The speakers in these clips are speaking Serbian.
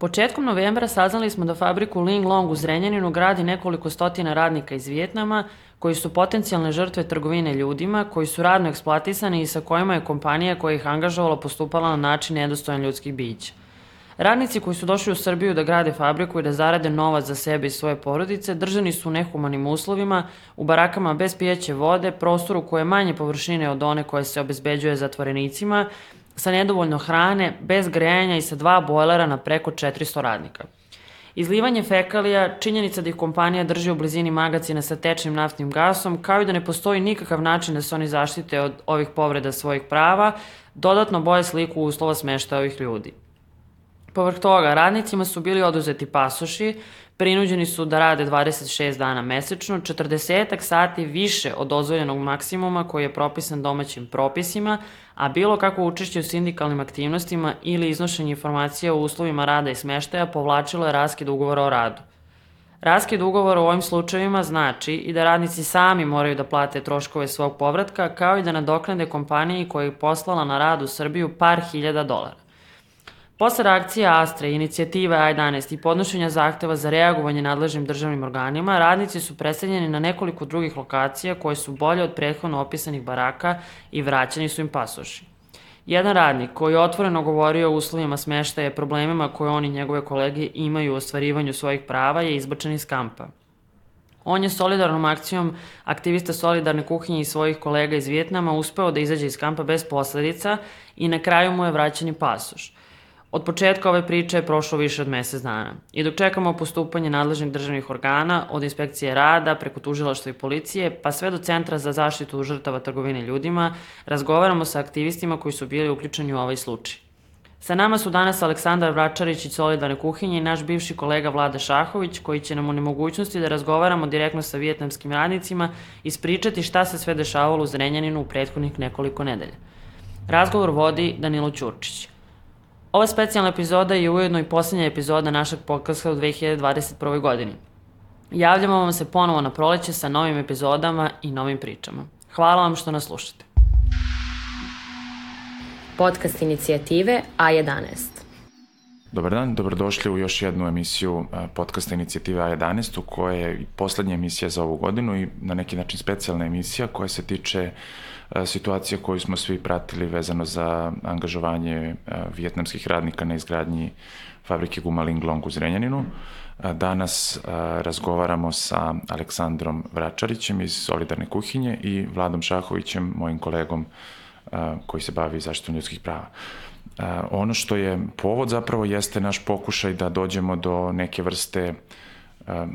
Početkom novembra saznali smo da fabriku Linglong u Zrenjaninu gradi nekoliko stotina radnika iz Vijetnama koji su potencijalne žrtve trgovine ljudima, koji su radno eksploatisani i sa kojima je kompanija koja ih angažovala postupala na način nedostojan ljudskih bića. Radnici koji su došli u Srbiju da grade fabriku i da zarade novac za sebe i svoje porodice držani su u nehumanim uslovima, u barakama bez pijeće vode, prostoru koje je manje površine od one koje se obezbeđuje zatvorenicima, sa nedovoljno hrane, bez grejanja i sa 2 bojlera na preko 400 radnika. Izlivanje fekalija, činjenica da ih kompanija drži u blizini magacina sa tečnim naftnim gasom, kao i da ne postoji nikakav način da se oni zaštite od ovih povreda svojih prava, dodatno boje sliku uslova smeštaja ovih ljudi. Povrh toga, radnicima su bili oduzeti pasoši, prinuđeni su da rade 26 dana mesečno, 40 sati više od dozvoljenog maksimuma koji je propisan domaćim propisima, a bilo kako učešće u sindikalnim aktivnostima ili iznošenje informacija o uslovima rada i smeštaja povlačilo je raskid ugovora o radu. Raskid ugovora u ovim slučajevima znači i da radnici sami moraju da plate troškove svog povratka, kao i da nadoknade kompaniji koja ih poslala na rad u Srbiju par hiljada dolara. Posle reakcije Astre, inicijative A11 i podnošenja zahteva za reagovanje nadležnim državnim organima, radnici su preseljeni na nekoliko drugih lokacija koje su bolje od prethodno opisanih baraka i vraćani su im pasoši. Jedan radnik koji je otvoreno govorio o uslovima smeštaja i problemima koje on i njegove kolege imaju u ostvarivanju svojih prava je izbačen iz kampa. On je solidarnom akcijom aktivista Solidarne kuhinje i svojih kolega iz Vijetnama uspeo da izađe iz kampa bez posledica i na kraju mu je vraćen i pasoš. Od početka ove priče je prošlo više od mesec dana. I dok čekamo postupanje nadležnih državnih organa, od inspekcije rada, preko tužilaštva i policije, pa sve do Centra za zaštitu žrtava trgovine ljudima, razgovaramo sa aktivistima koji su bili uključeni u ovaj slučaj. Sa nama su danas Aleksandar Vračarić iz Solidarne kuhinje i naš bivši kolega Vlada Šahović, koji će nam u nemogućnosti da razgovaramo direktno sa vijetnamskim radnicima ispričati šta se sve dešavalo u Zrenjaninu u prethodnih nekoliko nedelja. Razgovor vodi Danilo Ćurčić. Ova specijalna epizoda je ujedno i posljednja epizoda našeg podcasta u 2021. godini. Javljamo vam se ponovo na proleće sa novim epizodama i novim pričama. Hvala vam što nas slušate. Podcast inicijative A11. Dobar dan, dobrodošli u još jednu emisiju podcasta inicijative A11, koja je i poslednja emisija za ovu godinu i na neki način specijalna emisija koja se tiče situacije koju smo svi pratili vezano za angažovanje vijetnamskih radnika na izgradnji fabrike guma Linglong u Zrenjaninu. Danas razgovaramo sa Aleksandrom Vračarićem iz Solidarne kuhinje i Vladom Šahovićem, mojim kolegom koji se bavi zaštitom ljudskih prava. Ono što je povod zapravo jeste naš pokušaj da dođemo do neke vrste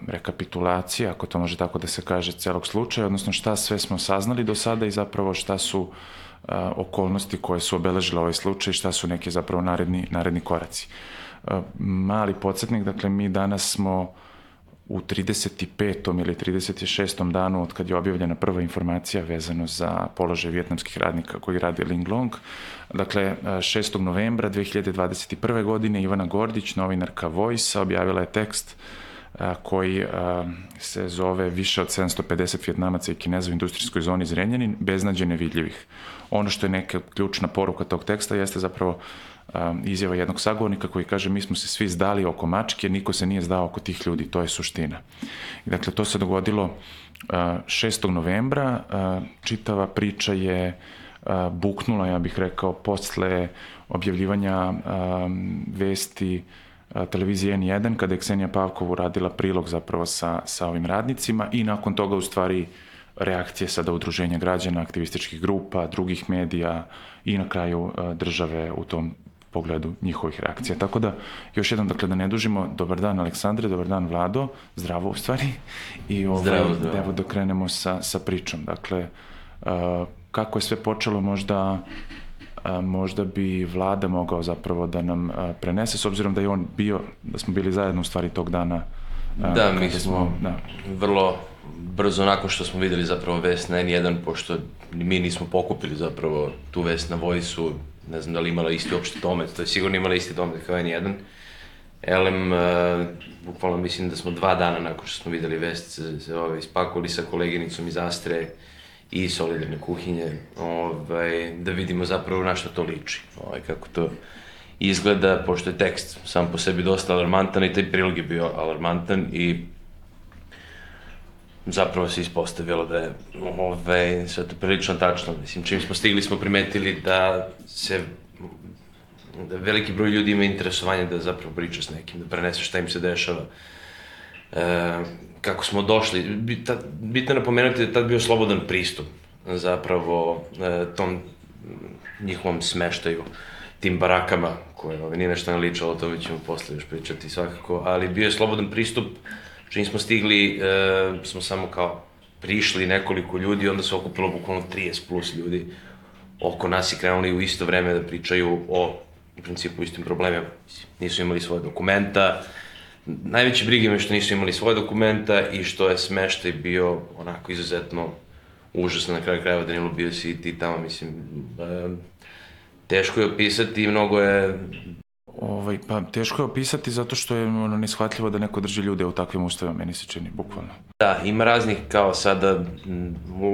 rekapitulacije, ako to može tako da se kaže, celog slučaja, odnosno šta sve smo saznali do sada i zapravo šta su okolnosti koje su obeležile ovaj slučaj i šta su neke zapravo naredni koraci. Mali podsjetnik, dakle mi danas smo u 35. ili 36. danu od kad je objavljena prva informacija vezano za položaj vijetnamskih radnika koji rade Linglong. Dakle, 6. novembra 2021. godine Ivana Gordić, novinarka Voice, objavila je tekst koji se zove Više od 750 Vijetnamaca i Kineza u industrijskoj zoni Zrenjanin, beznađe nevidljivih. Ono što je neka ključna poruka tog teksta jeste zapravo izjava jednog sagovornika koji kaže mi smo se svi zdali oko mačke, niko se nije zdao oko tih ljudi, to je suština. I dakle, to se dogodilo 6. novembra, čitava priča je buknula, ja bih rekao, posle objavljivanja vesti televizije N1, kada je Ksenija Pavkov uradila prilog zapravo sa ovim radnicima i nakon toga u stvari reakcije sada udruženja građana, aktivističkih grupa, drugih medija i na kraju države u tom pogledu njihovih reakcija. Tako da, još jednom, dakle, da ne dužimo, dobar dan Aleksandre, dobar dan Vlado, zdravo u stvari. I zdravo. Evo da krenemo sa pričom. Dakle, kako je sve počelo, možda bi Vlada mogao zapravo da nam prenese, s obzirom da je on bio, da smo bili zajedno u stvari tog dana. Da, mi smo vrlo brzo nakon što smo videli zapravo vest na N1, pošto mi nismo pokupili zapravo tu vest na Voice-u, ne znam da li imala isti opšti domet, to je sigurno imala isti domet kao N1. Elem, bukvalno mislim da smo 2 dana nakon što smo videli vest se ispakovali sa koleginicom iz Astre i Solidarne kuhinje, da vidimo zapravo na što to liči, kako to izgleda, pošto je tekst sam po sebi dosta alarmantan i taj prilog je bio alarmantan i zapravo se ispostavilo da je sve to prilično tačno. Mislim, čim smo stigli smo primetili da veliki broj ljudi ima interesovanje da zapravo priča s nekim, da prenese šta im se dešava. Kako smo došli, bitno je napomenuti da je tad bio slobodan pristup zapravo tom njihovom smeštaju, tim barakama, koje nije nešto naličalo, o tome ćemo posle još pričati svakako, ali bio je slobodan pristup. Čim smo stigli, smo samo kao prišli nekoliko ljudi, onda se okupilo bukvalno 30 plus ljudi oko nas i krenuli u isto vreme da pričaju o, u principu, istim problemima. Nisu imali svoje dokumenta, najveće brige me što nisu imali svoje dokumenta i što je smeštaj bio onako izuzetno užasno na kraju krajeva. Danilo, bio si i ti tamo, mislim, teško je opisati, mnogo je... Pa teško je opisati zato što je neshvatljivo da neko drži ljude u takvim uslovima, meni se čini, bukvalno. Da, ima raznih kao sada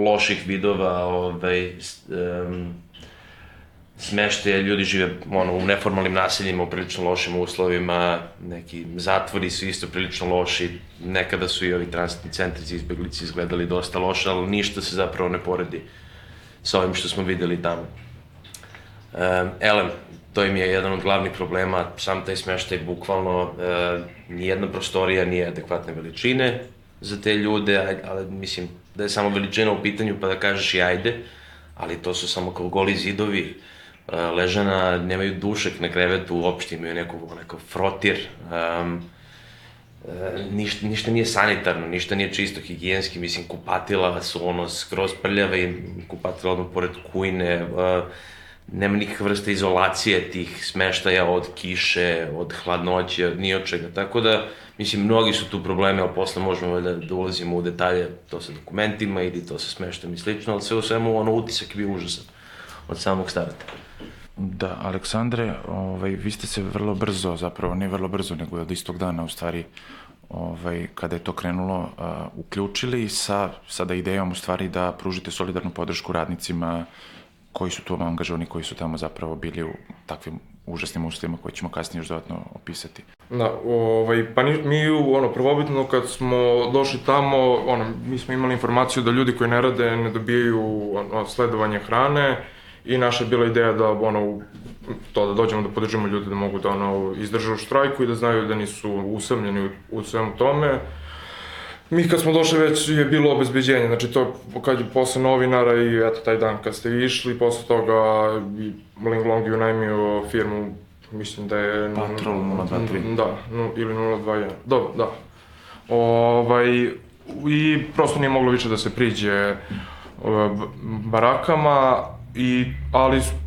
loših vidova, smeštaja, ljudi žive u neformalnim naseljima, u prilično lošim uslovima, neki zatvori su isto prilično loši, nekada su i ovi tranzitni centri za izbeglice izgledali dosta loše, ali ništa se zapravo ne poredi sa ovim što smo videli tamo. Elem, to im je jedan od glavnih problema, sam taj smeštaj bukvalno, nijedna prostorija nije adekvatne veličine za te ljude, ali mislim da je samo veličina u pitanju pa da kažeš i ajde, ali to su samo kao goli zidovi, ležana, nemaju dušek na krevetu, uopšte imaju neko frotir, ništa nije sanitarno, ništa nije čisto higijenski, mislim kupatila su skroz prljave i kupatila odmah pored kujne, nema nikakve vrste izolacije tih smeštaja od kiše, od hladnoće, od ni od čega. Tako da, mislim, mnogi su tu problemi, ali posle možemo da ulazimo u detalje, to sa dokumentima ili to sa smeštajem i slično, ali sve u svemu, utisak je bio užasan od samog starta. Da, Aleksandre, vi ste se vrlo brzo, zapravo ne vrlo brzo, nego od istog dana, u stvari, kada je to krenulo, uključili sa idejom, u stvari, da pružite solidarnu podršku radnicima koji su tu angažovani, koji su tamo zapravo bili u takvim užasnim uslovima koje ćemo kasnije još dodatno opisati. Da, pa mi prvobitno kad smo došli tamo, mi smo imali informaciju da ljudi koji ne rade ne dobijaju sledovanje hrane i naša je bila ideja da da dođemo da podržimo ljude da mogu da izdrže u štrajku i da znaju da nisu usamljeni u svemu tome. Mi kad smo došli već je bilo obezbeđenje, znači to kad je posle novinara i eto taj dan kad ste vi išli, posle toga Ling Long je unajmio firmu, mislim da je... Patrol 023. Da, ili 021, dobro, da. I prosto nije moglo više da se priđe barakama,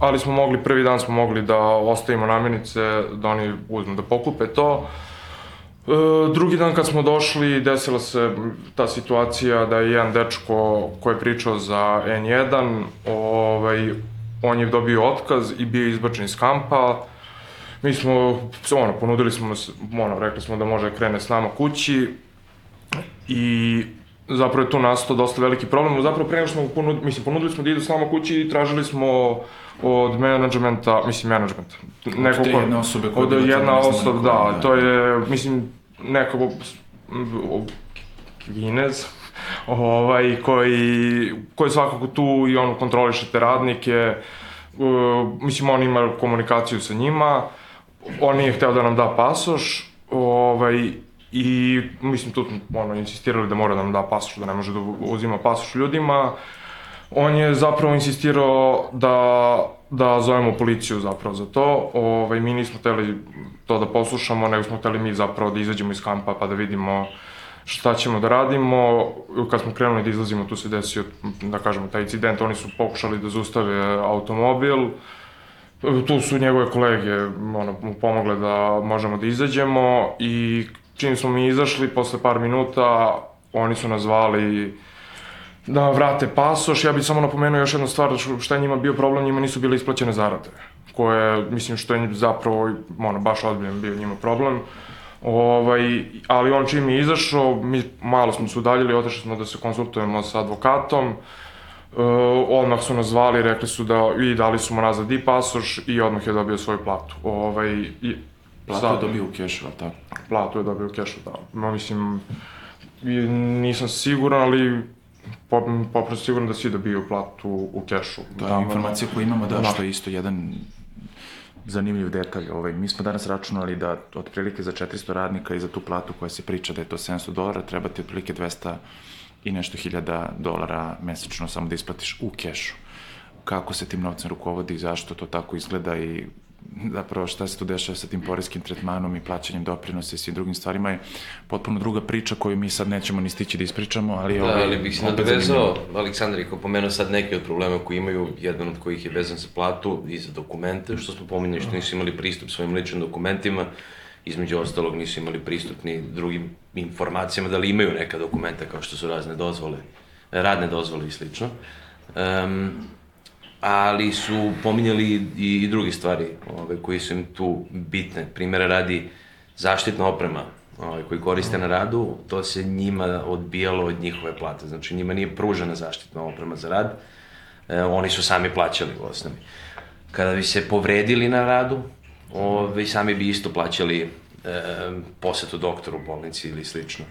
ali smo mogli, prvi dan smo mogli da ostavimo namirnice, da oni uzmu da pokupe to. Drugi dan kad smo došli, desila se ta situacija da je jedan dečko koji je pričao za N1, on je dobio otkaz i bio izbačen iz kampa. Mi smo, ponudili smo, rekli smo da može krene s nama kući i zapravo je tu nastao dosta veliki problem. Zapravo pre nego smo ponudili smo da idu s nama kući i tražili smo od menadžmenta, od te jedne osobe koja je bila jedna osoba, da, to je, neko Kinez, koji svakako tu i on kontroliše te radnike, on ima komunikaciju sa njima, on nije hteo da nam da pasoš, i tu smo insistirali da mora da nam da pasoš, da ne može da uzima pasoš ljudima. On je zapravo insistirao da zovemo policiju zapravo za to. Mi nismo hteli to da poslušamo, nego smo hteli mi zapravo da izađemo iz kampa pa da vidimo šta ćemo da radimo. Kad smo krenuli da izlazimo, tu se desio, da kažemo, taj incident, oni su pokušali da zaustave automobil. Tu su njegove kolege mu pomogle da možemo da izađemo i čim smo mi izašli, posle par minuta, oni su nas zvali da vrate pasoš. Ja bih samo napomenuo još jednu stvar, šta je njima bio problem, njima nisu bile isplaćene zarade, koje, što je zapravo, baš ozbiljan bio njima problem. Ali on čim je izašao, mi malo smo se udaljili, otišli smo da se konsultujemo sa advokatom. Odmah su nas zvali, rekli su i dali su mu nazad i pasoš i odmah je dobio svoju platu. Platu je dobio u kešu, ali tako? Platu je dobio u kešu, da. Mislim, nisam siguran, ali poprosto siguran da svi dobiju platu u kešu. To je informacija koju imamo, da, što je isto jedan zanimljiv detalj. Mi smo danas računali da otprilike za 400 radnika i za tu platu koja se priča da je to $700, treba ti otprilike 200 i nešto $1,000 mesečno samo da isplatiš u kešu. Kako se tim novcem rukovodi i zašto to tako izgleda i zapravo šta se tu dešava sa tim poreskim tretmanom i plaćanjem doprinosa i svim drugim stvarima je potpuno druga priča koju mi sad nećemo ni stići da ispričamo, ali da, ali bih se nadovezao, Aleksandar je pomenuo sad neke od problema koji imaju, jedan od kojih je vezan za platu i za dokumente, što smo pominjali, što nisu imali pristup svojim ličnim dokumentima, između ostalog nisu imali pristup ni drugim informacijama, da li imaju neka dokumenta kao što su razne dozvole, radne dozvole i slično. Ali su pominjali i druge stvari koji su im tu bitne. Primjera radi zaštitna oprema koji koriste na radu, to se njima odbijalo od njihove plate. Znači njima nije pružena zaštitna oprema za rad, oni su sami plaćali u osnovi. Kada bi se povredili na radu, sami bi isto plaćali posetu doktoru u bolnici ili slično.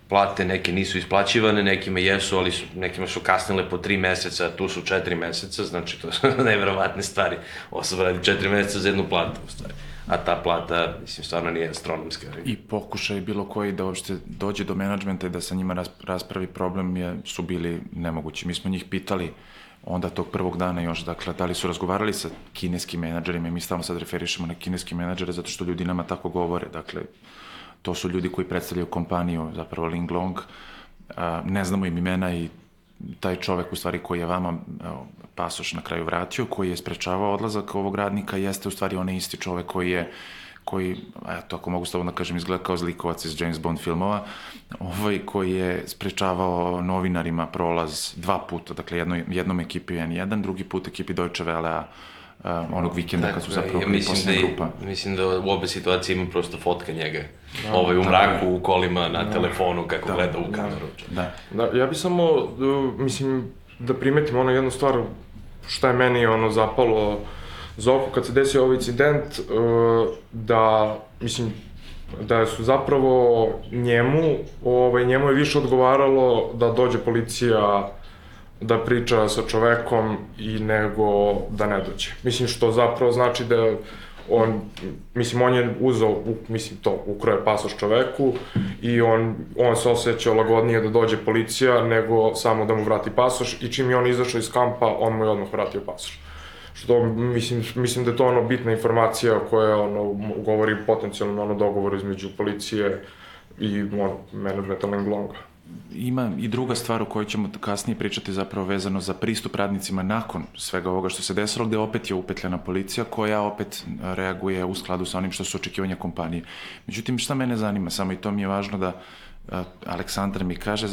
Plate neke nisu isplaćivane, nekima jesu, ali nekima su kasnile po 3 meseca, tu su 4 meseca, znači to su neverovatne stvari. Osoba radi 4 meseca za jednu platu, u stvari. A ta plata, mislim, stvarno nije astronomska. I pokušaj bilo koji da uopšte dođe do menadžmenta i da sa njima raspravi problem su bili nemogući. Mi smo njih pitali onda tog prvog dana još, dakle, da li su razgovarali sa kineskim menadžerima i mi stalno sad referišemo na kineske menadžere zato što ljudi nama tako govore, dakle, to su ljudi koji predstavljaju kompaniju, zapravo Linglong, ne znamo im imena i taj čovek u stvari koji je vama pasoš na kraju vratio, koji je sprečavao odlazak ovog radnika, jeste u stvari onaj isti čovek koji, eto, ako mogu slobodno kažem, izgleda kao zlikovac iz James Bond filmova, koji je sprečavao novinarima prolaz 2 puta, dakle jednom ekipi N1, drugi put ekipi Deutsche Welle-a, onog vikenda kad su zapravo posljedna grupa. Mislim da u obe situacije ima prosto fotka njega. U mraku, u kolima, na telefonu, kako gleda u kameru. Da, ja bih samo, mislim, da primetim jednu stvar, šta je meni zapalo za oko kad se desio ovaj incident, da, mislim, da su zapravo njemu je više odgovaralo da dođe policija da priča sa čovekom i nego da ne dođe. Mislim, što zapravo znači da on je uzeo, ukroje pasoš čoveku i on se osjećao lagodnije da dođe policija nego samo da mu vrati pasoš i čim je on izašao iz kampa, on mu je odmah vratio pasoš. Što, mislim da je to bitna informacija koja govori potencijalno dogovoru između policije i menadžmenta Linglonga. Ima i druga stvar o kojoj ćemo kasnije pričati zapravo vezano za pristup radnicima nakon svega ovoga što se desilo, gde opet je upetljana policija koja opet reaguje u skladu sa onim što su očekivanja kompanije. Međutim, šta mene zanima, samo i to mi je važno da Aleksandar mi kaže,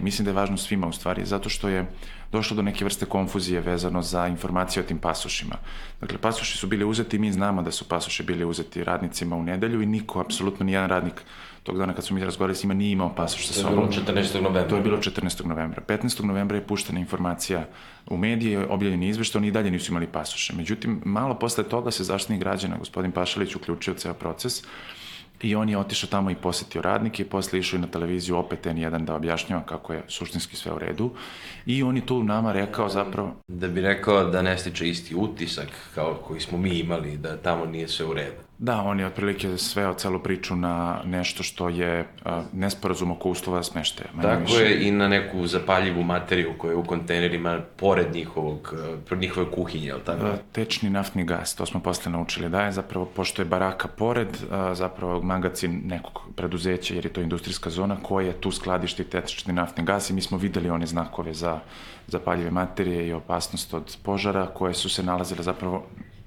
mislim da je važno svima u stvari, zato što je došlo do neke vrste konfuzije vezano za informacije o tim pasošima. Dakle, pasoši su bili uzeti i mi znamo da su pasoši bili uzeti radnicima u nedelju i niko, apsolutno nijedan radnik tog dana kad smo mi razgovarali s njima nije imao pasoš sa sobom. To je bilo 14. novembra. To je bilo 14. novembra. 15. novembra je puštena informacija u medije, objavljeni izveštaj, oni i dalje nisu imali pasoše. Međutim, malo posle toga se Zaštitnik građana, gospodin Pašalić, uključio ceo proces i on je otišao tamo i posetio radnike i posle išao i na televiziju opet N1 da objašnjava kako je suštinski sve u redu i on je tu nama rekao zapravo... Da bi rekao da ne stiče isti utisak kao koji smo mi imali, da tamo nije sve u redu. Da, on je otprilike sveo celu priču na nešto što je nesporazum oko uslova smeštaja. Tako je, i na neku zapaljivu materiju koja je u kontejnerima pored njihove kuhinje, je li tako? Tečni naftni gas, to smo posle naučili da je zapravo, pošto je baraka pored, zapravo magacin nekog preduzeća, jer je to industrijska zona koja tu skladišti tečni naftni gas i mi smo videli one znakove za zapaljive materije i opasnost od požara koje su se nalazile zapravo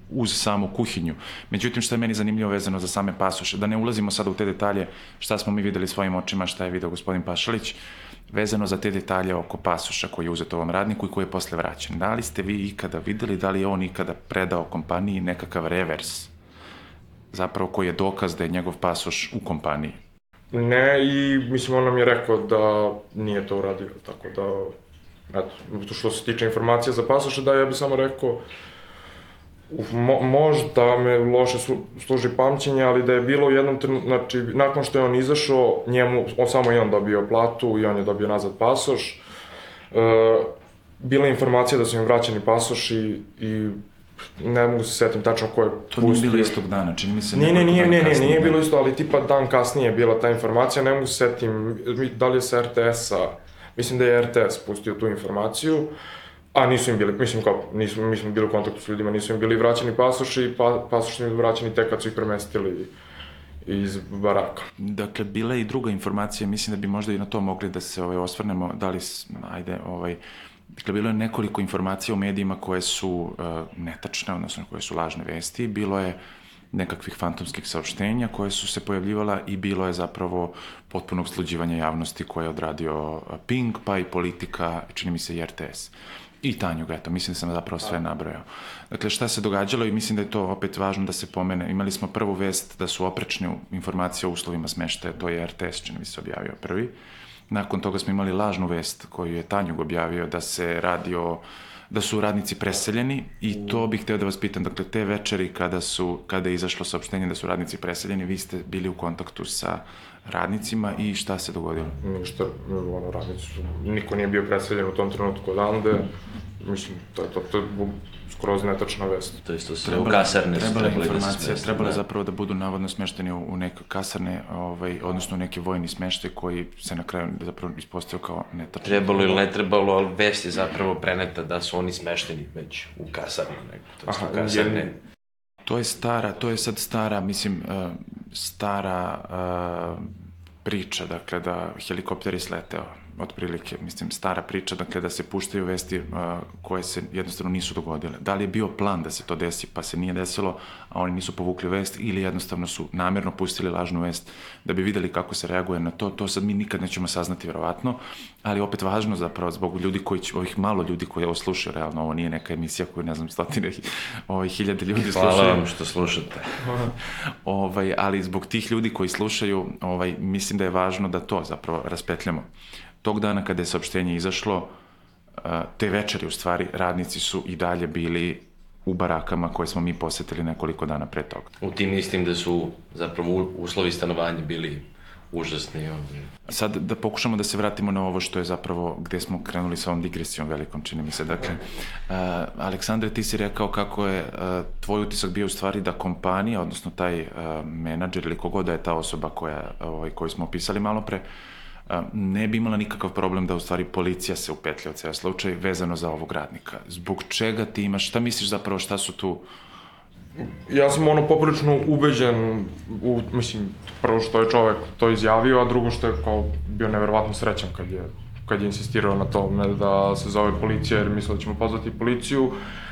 uz samu kuhinju. Međutim, što je meni zanimljivo vezano za same pasoše, da ne ulazimo sada u te detalje šta smo mi videli svojim očima, šta je video gospodin Pašalić, vezano za te detalje oko pasoša koji je uzet ovom radniku i koji je posle vraćen. Da li ste vi ikada videli, da li je on ikada predao kompaniji nekakav revers, zapravo koji je dokaz da je njegov pasoš u kompaniji? Ne, i mislim on nam je rekao da nije to uradio, tako da Eto, što se tiče informacija za pasoše, da, ja bih samo rekao, možda me loše služi pamćenje, ali da je bilo u jednom trenutku, znači, nakon što je on izašao, samo je on dobio platu i on je dobio nazad pasoš. Bila je informacija da su im vraćeni pasoši i ne mogu se setim tačno ko je pustio. To nije bilo istog dana, čini mi se nije bilo isto, ali tipa dan kasnije je bila ta informacija, ne mogu se setim da li je sa RTS-a, mislim da je RTS pustio tu informaciju, a nisu im bili, mi smo bili u kontaktu s ljudima, nisu im bili vraćeni pasoši i pasoši su im vraćeni tek kad su ih premestili iz baraka. Dakle, bila je i druga informacija, mislim da bi možda i na to mogli da se osvrnemo, da li, dakle, bilo je nekoliko informacija u medijima koje su netačne, odnosno koje su lažne vesti, bilo je nekakvih fantomskih saopštenja koje su se pojavljivala i bilo je zapravo potpunog sluđivanja javnosti koje je odradio Pink, pa i Politika, čini mi se i RTS. I Tanjug, eto, mislim da sam zapravo sve nabrojao. Dakle, šta se događalo i mislim da je to opet važno da se pomene. Imali smo prvu vest da su oprečne informacije o uslovima smeštaja, to je RTS, čini mi se, objavio prvi. Nakon toga smo imali lažnu vest koju je Tanjug objavio da su radnici preseljeni i to bih hteo da vas pitam, dakle, te večeri kada je izašlo saopštenje da su radnici preseljeni, vi ste bili u kontaktu sa radnicima i šta se dogodilo? Ništa, radnici su, niko nije bio preseljen u tom trenutku odande, mislim, to je skroz netačna vest. To isto sve u kasarne su trebali da se smeste. Trebalo je zapravo da budu navodno smešteni u neke kasarne, odnosno u neki vojni smeštaj koji se na kraju zapravo ispostavio kao netačan. Trebalo ili ne trebalo, ali vest je zapravo preneta da su oni smešteni već u kasarne. To je sad stara priča, dakle, da helikopter je sleteo, otprilike, mislim, stara priča, dakle, da se puštaju vesti koje se jednostavno nisu dogodile. Da li je bio plan da se to desi, pa se nije desilo, a oni nisu povukli vest, ili jednostavno su namerno pustili lažnu vest da bi videli kako se reaguje na to, to sad mi nikad nećemo saznati, verovatno, ali opet važno zapravo zbog ljudi ovih malo ljudi koji ovo slušaju, realno, ovo nije neka emisija koju, ne znam, stotine hiljade ljudi slušaju. Hvala vam što slušate. Ali zbog tih ljudi koji slušaju, mislim da je važno da to zapravo raspetljamo. Tog dana kada je saopštenje izašlo, te večeri u stvari, radnici su i dalje bili u barakama koje smo mi posetili nekoliko dana pre toga. U tim istim da su zapravo uslovi stanovanja bili užasni. Sad da pokušamo da se vratimo na ovo što je zapravo, gde smo krenuli sa ovom digresijom velikom, čini mi se. Dakle, Aleksandre, ti si rekao kako je tvoj utisak bio u stvari da kompanija, odnosno taj menadžer ili kogoda je ta osoba koju smo opisali malo pre, ne bi imala nikakav problem da u stvari policija se upetlja u ceo slučaj vezano za ovog radnika. Zbog čega ti imaš, šta misliš zapravo, šta su tu? Ja sam poprilično ubeđen, mislim, prvo što je čovek to izjavio, a drugo što je kao bio neverovatno srećan kad je insistirao na tome da se zove policija, jer mislio da ćemo pozvati policiju.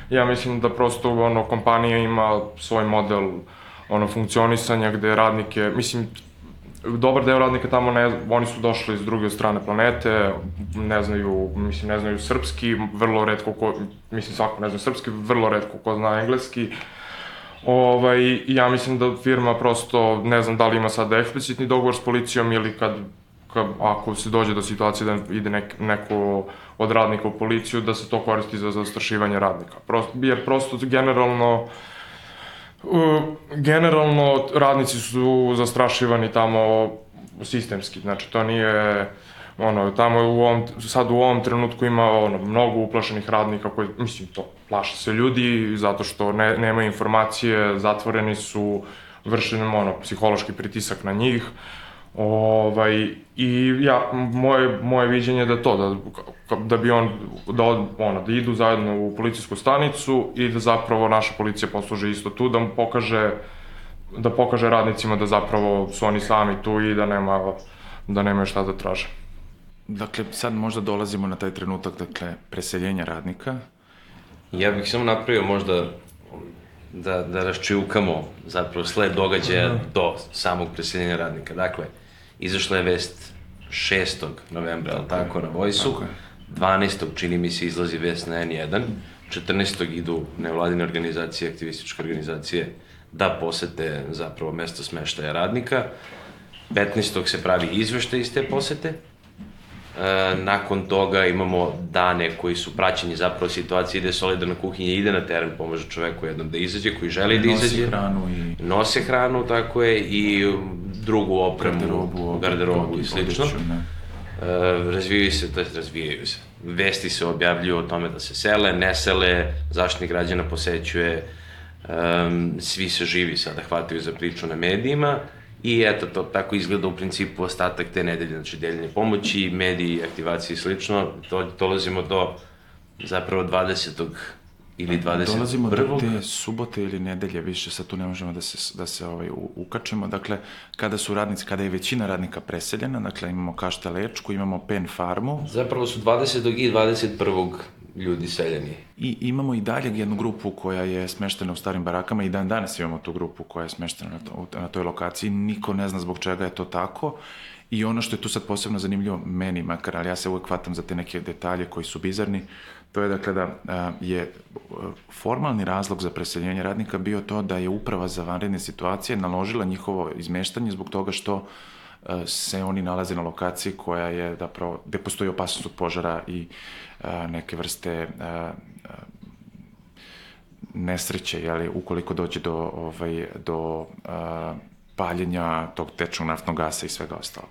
Ja mislim da prosto kompanija ima svoj model funkcionisanja gde radnike, mislim, dobar deo radnika tamo, oni su došli iz druge strane planete, ne znaju srpski, vrlo retko ko, mislim svako ne zna srpski, vrlo retko ko zna engleski. Ja mislim da firma prosto, ne znam da li ima sada eksplicitni dogovor s policijom ili ako se dođe do situacije da ide neko od radnika u policiju, da se to koristi za zastrašivanje radnika. Jer prosto generalno radnici su zastrašivani tamo sistemski, znači to nije, tamo sad u ovom trenutku ima mnogo uplašenih radnika koji, mislim, to plaše se ljudi zato što nemaju informacije, zatvoreni su, vršen psihološki pritisak na njih. I moje viđenje da je to, da bi da idu zajedno u policijsku stanicu i da zapravo naša policija posluže isto tu, da pokaže radnicima da zapravo su oni sami tu i da nemaju šta da traže. Dakle, sad možda dolazimo na taj trenutak, dakle, preseljenja radnika. Ja bih samo napravio možda da raščivkamo zapravo sled događaja do samog preseljenja radnika. Dakle, izašla je vest 6. novembra, ali tako, na Voice-u. 12. čini mi se izlazi vest na N1. 14. idu nevladine organizacije, aktivističke organizacije da posete zapravo mesto smeštaja radnika. 15. se pravi izveštaj iz te posete. nakon toga imamo dane koji su praćeni zapravo situacije, ide solidarna kuhinja, ide na teren, pomaže čoveku jednom da izađe, koji želi da izađe. Nose hranu, tako je, i drugu opremu, garderobu i slično. Razvijaju se. Vesti se objavljuju o tome da se sele, ne sele, Zaštitnik građana posećuje, svi se živi sada hvataju za priču na medijima i eto, to tako izgleda u principu ostatak te nedelje, znači deljenje pomoći, mediji, aktivacije i slično. Dolazimo do zapravo 20. ili 21. Dolazimo do te subote ili nedelje, više sad tu ne možemo da se ukačemo. Dakle, kada je većina radnika preseljena, dakle imamo Kašta Lečku, imamo Pen farmu. Zapravo su 20. i 21. ljudi seljeni. I imamo i dalje jednu grupu koja je smeštena u starim barakama i dan danas imamo tu grupu koja je smeštena na toj lokaciji. Niko ne zna zbog čega je to tako. I ono što je tu sad posebno zanimljivo meni makar, ali ja se uvek hvatam za te neke detalje koji su bizarni, to je dakle da je formalni razlog za preseljenje radnika bio to da je Uprava za vanredne situacije naložila njihovo izmeštanje zbog toga što se oni nalaze na lokaciji koja je zapravo, gde postoji opasnost od požara i neke vrste nesreće, jeli, ukoliko dođe do paljenja tog tečnog naftnog gasa i svega ostalo.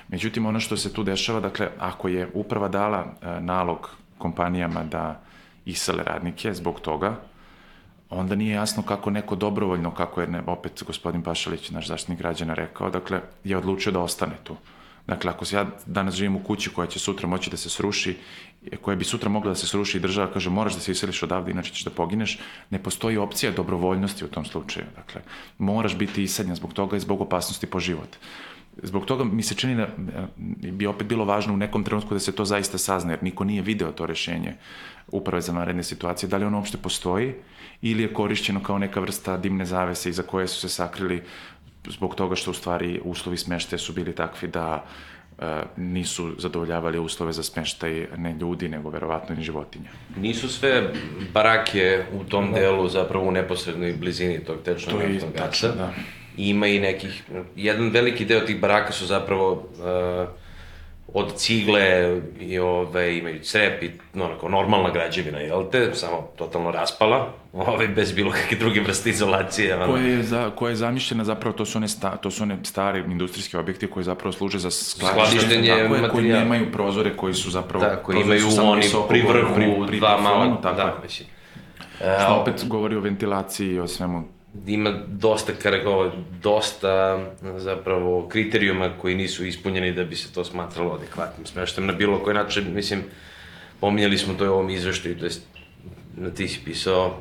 Međutim, ono što se tu dešava, dakle, ako je uprava dala nalog kompanijama da isele radnike zbog toga, onda nije jasno kako neko dobrovoljno, kako je opet gospodin Pašalić, naš Zaštitnik građana, rekao, dakle, je odlučio da ostane tu. Dakle, ako ja danas živim u kući koja će sutra moći da se sruši, koja bi sutra mogla da se sruši i država kaže moraš da se iseliš odavde, inače ćeš da pogineš, ne postoji opcija dobrovoljnosti u tom slučaju. Dakle, moraš biti iseljen zbog toga i zbog opasnosti po život. Zbog toga mi se čini da bi opet bilo važno u nekom trenutku da se to zaista sazna, jer niko nije video to rešenje Uprave za vanredne situacije, da li ono uopšte postoji ili je korišćeno kao neka vrsta dimne zavese iza koje su se sakrili zbog toga što u stvari uslovi smeštaja su bili takvi da nisu zadovoljavali uslove za smeštaj ne ljudi, nego verovatno ni životinja. Nisu sve barake u tom delu zapravo u neposrednoj blizini tog tečnog naftnog gasa. Da. Ima i nekih, jedan veliki deo tih baraka su zapravo od cigle i imaju crep i normalna građevina, jel te, samo totalno raspala, bez bilo kakve druge vrste izolacije. Koja je zamišljena zapravo, to su one stari industrijski objekti koji zapravo služe za skladištenje materijala. Koji nemaju prozore, koji su zapravo... Da, koji imaju oni pri vrhu, dva mala, da, mislim. Što opet govori o ventilaciji i o svemu. Ima dosta zapravo kriterijuma koji nisu ispunjeni da bi se to smatralo adekvatnim smeštajem na bilo koji način. Mislim, pominjali smo to u ovom izveštaju, to jest ti si pisao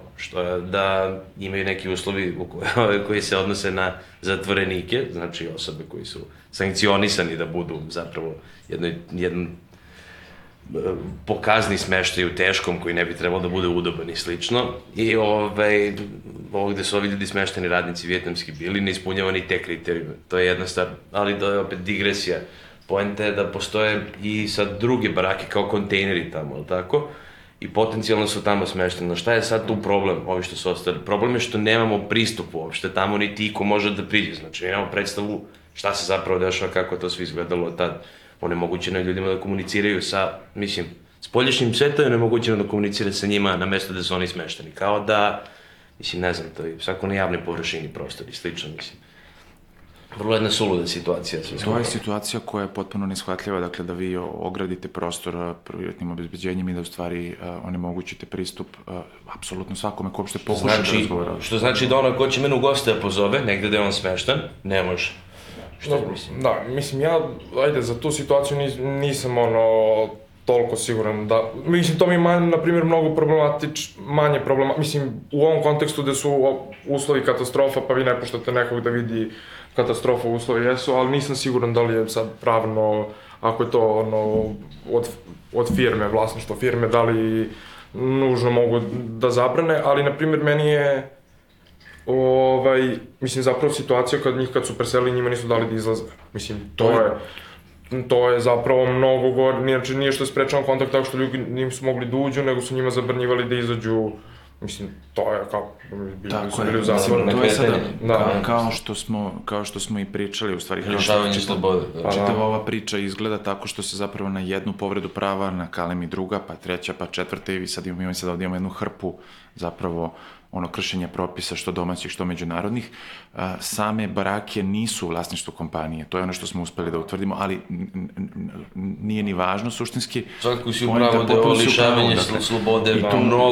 da imaju neki uslovi koji se odnose na zatvorenike, znači osobe koji su sankcionisani da budu zapravo jedan pokazni smeštaj u teškom koji ne bi trebalo da bude udoban i slično. I ovde su ovi ljudi smešteni radnici vijetnamski bili, ne ispunjava ni te kriterijume. To je jedna stvar, ali to je opet digresija. Poenta je da postoje i sad druge barake kao kontejneri tamo, ali tako? I potencijalno su tamo smešteni. Šta je sad tu problem, ovi što su ostali? Problem je što nemamo pristup uopšte tamo, niti iko može da priđe. Znači, nemamo predstavu šta se zapravo dešava, kako je to sve izgledalo tad. Onemogućeno je ljudima da komuniciraju sa, mislim, spoljašnjim svetom je onemogućeno da komunicira sa njima na mesto gde su oni smešteni. Kao da, mislim, ne znam, to je svako na javnoj površini prostor i slično, mislim. Vrlo jedna suluda situacija. To je situacija koja je potpuno neshvatljiva, dakle da vi ogradite prostor privatnim obezbeđenjem i da u stvari onemogućite pristup apsolutno svakome ko uopšte pokuša da razgovara. Što znači da ono ko će mene u goste da pozove, negde da je on smešten, ne može. Da, mislim, ja, ajde, za tu situaciju nisam, toliko siguran da, mislim, to mi je, na primjer, mnogo manje problema, mislim, u ovom kontekstu gde su uslovi katastrofa, pa vi ne puštate nekog da vidi katastrofa uslovi jesu, ali nisam siguran da li je sad pravno, ako je to, od firme, vlasništvo firme, da li nužno mogu da zabrane, ali, na primjer, meni je mislim, zapravo situacija kad su preselili, njima nisu dali da izlaze. Mislim, to je zapravo mnogo gore, nije što je sprečavan kontakt tako što ljudi nisu mogli da uđu, nego su njima zabranjivali da izađu Mislim, to je kao, Tako bili u je, zatvoru. to je sada, Da. kao što smo i pričali, u stvari, Lišavanje slobode. čitava ova priča izgleda tako što se zapravo na jednu povredu prava nakalemi druga, pa treća, pa četvrta i sad ovdje imamo jednu hrpu zapravo kršenja propisa što domaćih, što međunarodnih. Same barake nisu u vlasništvu kompanije, to je ono što smo uspeli da utvrdimo, ali nije ni važno suštinski. Svakako si upravo da je ovo lišavanje slobode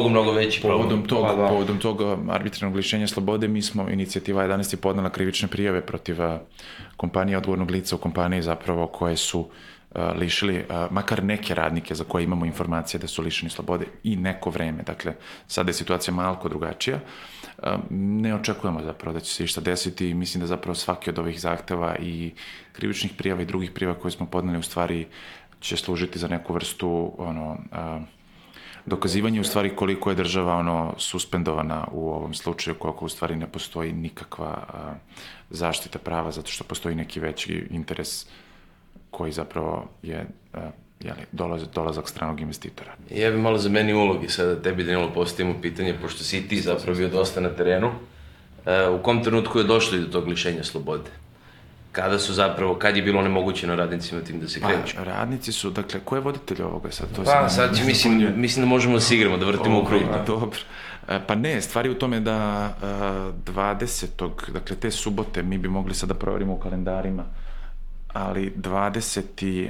mnogo veći problem. Povodom tog arbitrarnog lišenja slobode mi smo, inicijativa 11 je podnela krivične prijave protiv kompanije, odgovornog lica u kompaniji zapravo koje su lišili makar neke radnike za koje imamo informacije da su lišeni slobode i neko vreme. Dakle, sada je situacija malko drugačija. Ne očekujemo zapravo da će se išta desiti i mislim da zapravo svaki od ovih zahteva i krivičnih prijava i drugih prijava koje smo podneli u stvari će služiti za neku vrstu dokazivanje u stvari koliko je država suspendovana u ovom slučaju, koliko u stvari ne postoji nikakva zaštita prava zato što postoji neki veći interes koji zapravo je dolazak stranog investitora. Ja bih malo zamenio ulogi sada, tebi Danilo postavimo pitanje, pošto si i ti zapravo bio dosta na terenu. U kom trenutku je došlo do tog lišenja slobode? Kad je bilo onemogućeno radnicima tim da se kreću? Pa, radnici su, dakle, ko je voditelj ovoga sad? Sad mislim da možemo da se igramo, da vrtimo u krug. Dobro. Pa ne, stvar je u tome da 20. dakle, te subote mi bi mogli sad da proverimo u kalendarima, ali 20.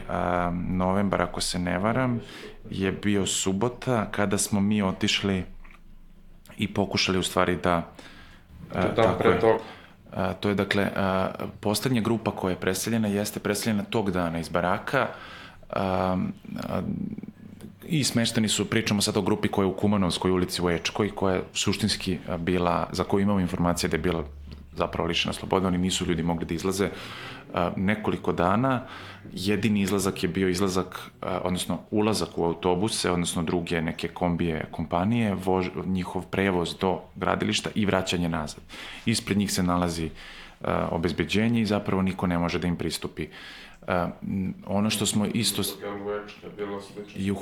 novembar, ako se ne varam, je bio subota kada smo mi otišli i pokušali u stvari da... To je, dakle, poslednja grupa koja je preseljena, jeste preseljena tog dana iz baraka i smešteni su, pričamo sad o grupi koja je u Kumanovskoj ulici u Ečkoj, koja je suštinski bila, za koju imamo informacije da je bila zapravo lišena slobode, oni nisu ljudi mogli da izlaze nekoliko dana. Jedini izlazak je bio odnosno ulazak u autobuse, odnosno druge neke kombije kompanije, njihov prevoz do gradilišta i vraćanje nazad. Ispred njih se nalazi obezbeđenje i zapravo niko ne može da im pristupi. Ono što smo isto... I u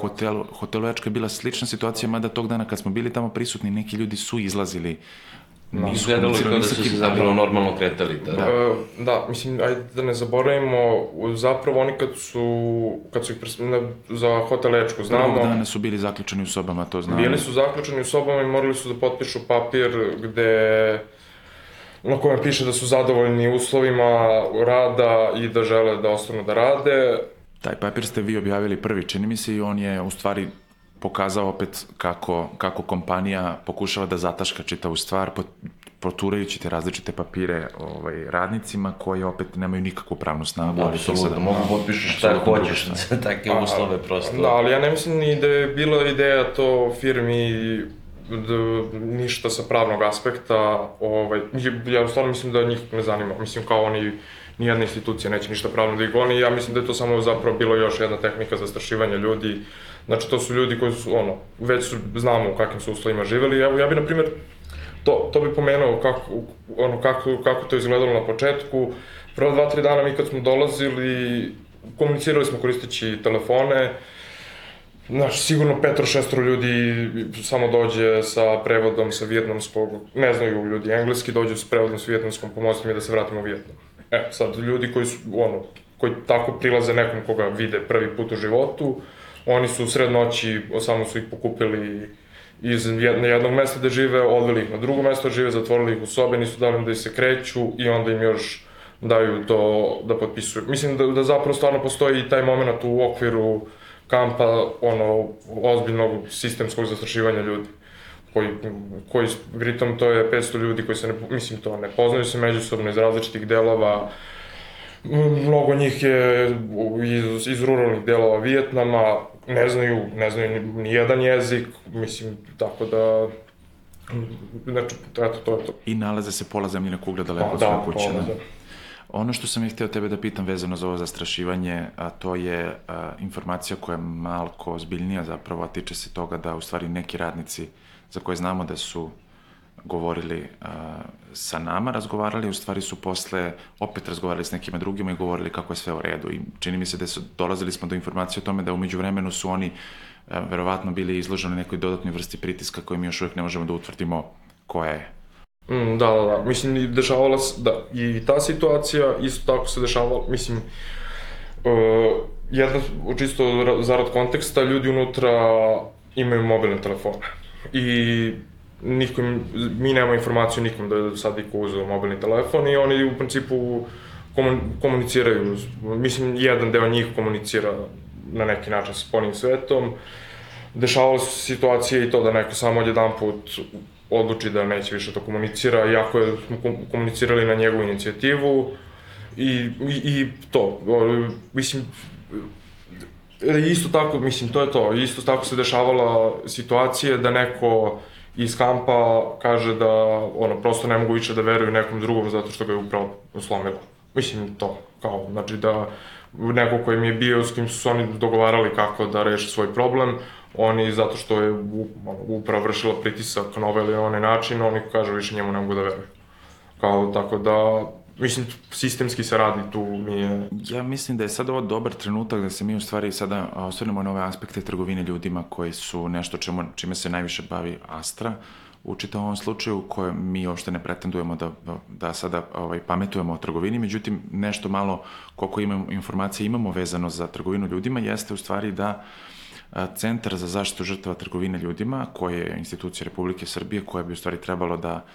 hotelu Ečka je bila slična situacija, mada tog dana kad smo bili tamo prisutni, neki ljudi su izlazili. Izgledalo je kao da su se zapravo normalno kretali. Da, mislim, ajde da ne zaboravimo, zapravo oni kad su ih za hotel Ečku, znamo... Prvog dana su bili zaključeni u sobama, to znamo. Bili su zaključeni u sobama i morali su da potpišu papir na kojem piše da su zadovoljni uslovima rada i da žele da ostanu da rade. Taj papir ste vi objavili prvi, čini mi se, i on je u stvari pokazao opet kako kompanija pokušava da zataška čitavu stvar, proturajući te različite papire radnicima koji opet nemaju nikakvu pravnu snagu. Apsolutno, mogu potpišeš šta hoćeš za takve uslove prosto. Da, ali ja ne mislim ni da je bila ideja to firmi ništa sa pravnog aspekta. Ja u stvarno mislim da njih ne zanima. Mislim kao oni, nijedna institucija neće ništa pravno da ih goni. Ja mislim da je to samo zapravo bilo još jedna tehnika zastrašivanja ljudi. Znači, to su ljudi koji su, već znamo u kakvim su uslovima živeli. Ja bi, na primjer, to bi pomenuo kako to izgledalo na početku. Prvo 2-3 dana mi kad smo dolazili, komunicirali smo koristeći telefone. Znaš, sigurno 5-6 ljudi samo dođe sa prevodom sa vijetnamskog, ne znaju ljudi engleski, dođu sa prevodom sa vijetnamskom, pomozite mi da se vratimo u Vijetnam. Sad, ljudi koji tako prilaze nekom koga vide prvi put u životu, oni su u sred noći, samo su ih pokupili iz jednog mesta da žive, odveli ih na drugo mesto da žive, zatvorili ih u sobe, nisu dali da ih se kreću i onda im još daju to da potpisuju. Mislim da zapravo stvarno postoji i taj moment u okviru kampa, ozbiljnog sistemskog zastrašivanja ljudi. Koji, pritom, to je 500 ljudi koji se, ne poznaju se međusobno iz različitih delova. Mnogo njih je iz ruralnih delova Vijetnama, ne znaju ni jedan jezik, mislim, tako da, znači, eto, to je to. I nalaze se pola zemljine kugle daleko od svoje kuće. Da. Ono što sam htio tebe da pitam vezano za ovo zastrašivanje, a to je informacija koja je malko ozbiljnija zapravo, a tiče se toga da u stvari neki radnici za koje znamo da su govorili sa nama, razgovarali, u stvari su posle opet razgovarali s nekima drugima i govorili kako je sve u redu. I čini mi se da dolazili smo do informacije o tome da umeđu vremenu su oni verovatno bili izloženi nekoj dodatnoj vrsti pritiska koju mi još uvijek ne možemo da utvrdimo koja je. Da. Mislim, dešavala se, da, i ta situacija isto tako se dešavala, mislim, jedno, čisto zarad konteksta, ljudi unutra imaju mobilne telefone i mi nemamo informaciju nikom da je sad iko uzeo mobilni telefon i oni u principu komuniciraju, mislim, jedan deo njih komunicira na neki način sa spoljnim svetom. Dešavale su situacije i to da neko samo jedan put odluči da neće više to komunicira, iako smo komunicirali na njegovu inicijativu i to, mislim, isto tako, mislim, to je to, isto tako se dešavala situacije da neko iz kampa kaže da, prosto ne mogu više da veruju nekom drugom zato što ga je upravo slomilo. Mislim, to, kao, znači da neko koji mi je bio, s kim su se oni dogovarali kako da reše svoj problem, oni, zato što je upravo vršila pritisak na ovaj ili onaj način, oni kažu više njemu ne mogu da veruju. Kao, tako da, mislim, sistemski se radi tu, nije... Ja mislim da je sad ovo dobar trenutak da se mi u stvari sada osvrnemo na ove aspekte trgovine ljudima koji su nešto čime se najviše bavi Astra u čitavom ovom slučaju, koje mi uopšte ne pretendujemo da sada pametujemo o trgovini, međutim nešto malo koliko informacije imamo vezano za trgovinu ljudima jeste u stvari da Centar za zaštitu žrtava trgovine ljudima, koja je institucija Republike Srbije, koja bi u stvari trebalo da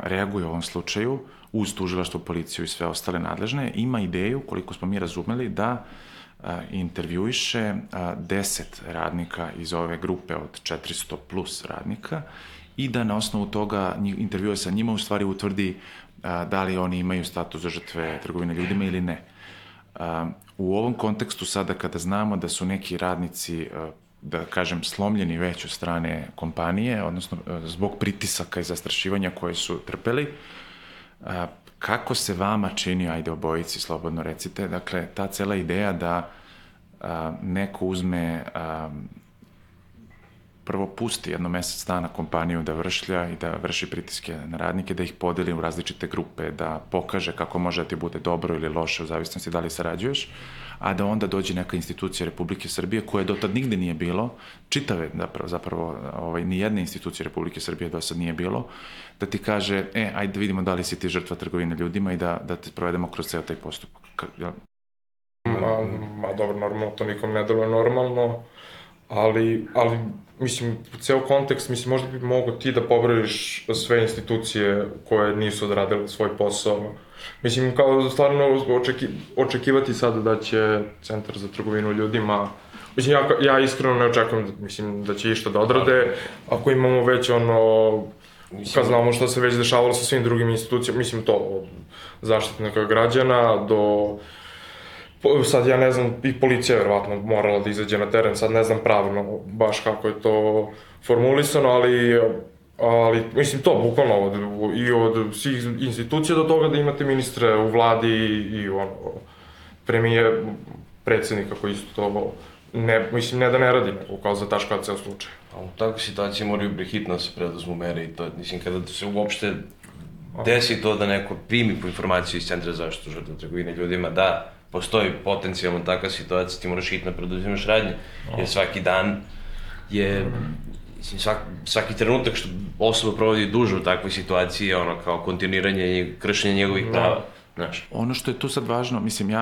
reaguje u ovom slučaju, uz tužilaštvo, policiju i sve ostale nadležne, ima ideju, koliko smo mi razumeli, da intervjuiše 10 radnika iz ove grupe od 400 plus radnika i da na osnovu toga intervjue sa njima u stvari utvrdi da li oni imaju status za žrtve trgovine ljudima ili ne. U ovom kontekstu sada kada znamo da su neki radnici, da kažem, slomljeni već od strane kompanije, odnosno zbog pritisaka i zastrašivanja koje su trpeli, kako se vama čini, ajde obojici, slobodno recite, dakle, ta cela ideja da neko uzme, prvo pusti jedno mesec dana kompaniju da vršlja i da vrši pritiske na radnike, da ih podeli u različite grupe, da pokaže kako može da ti bude dobro ili loše u zavisnosti da li sarađuješ, a da onda dođe neka institucija Republike Srbije, koje do tad nigde nije bilo, čitave zapravo nijedne institucije Republike Srbije do sad nije bilo, da ti kaže, ajde da vidimo da li si ti žrtva trgovine ljudima i da te provedemo kroz ceo taj postupak. Dobro, normalno, to nikom ne deluje normalno, ali mislim, ceo kontekst, mislim, možda bi mogo ti da pobrojiš sve institucije koje nisu odradile svoj posao. Mislim, kao stvarno očekivati sada da će Centar za trgovinu ljudima, mislim, ja iskreno ne očekujem, mislim, da će išta da odrade, ako imamo već kad znamo što se već dešavalo sa svim drugim institucijama, mislim, to od zaštitnika građana do... Sad ja ne znam, i policija je verovatno morala da izađe na teren, sad ne znam pravno baš kako je to formulisano, ali mislim to bukvalno i od svih institucija do toga da imate ministre u vladi i premijer, predsednika koji isto to, mislim ne da ne radi, nego kao zataškava ceo slučaj. A u takvoj situaciji moraju prehitno da se preduzmu mere i to, mislim, kada se uopšte desi to da neko primi po informaciju iz Centra za zaštitu žrtava trgovine ljudima, da postoji potencijalno takva situacija, ti moraš hitno preduzimaš radnje, jer svaki dan je, svaki trenutak što osoba provodi duže u takvoj situaciji je kao kontinuiranje i kršenje njegovih prava. Ono što je tu sad važno, mislim,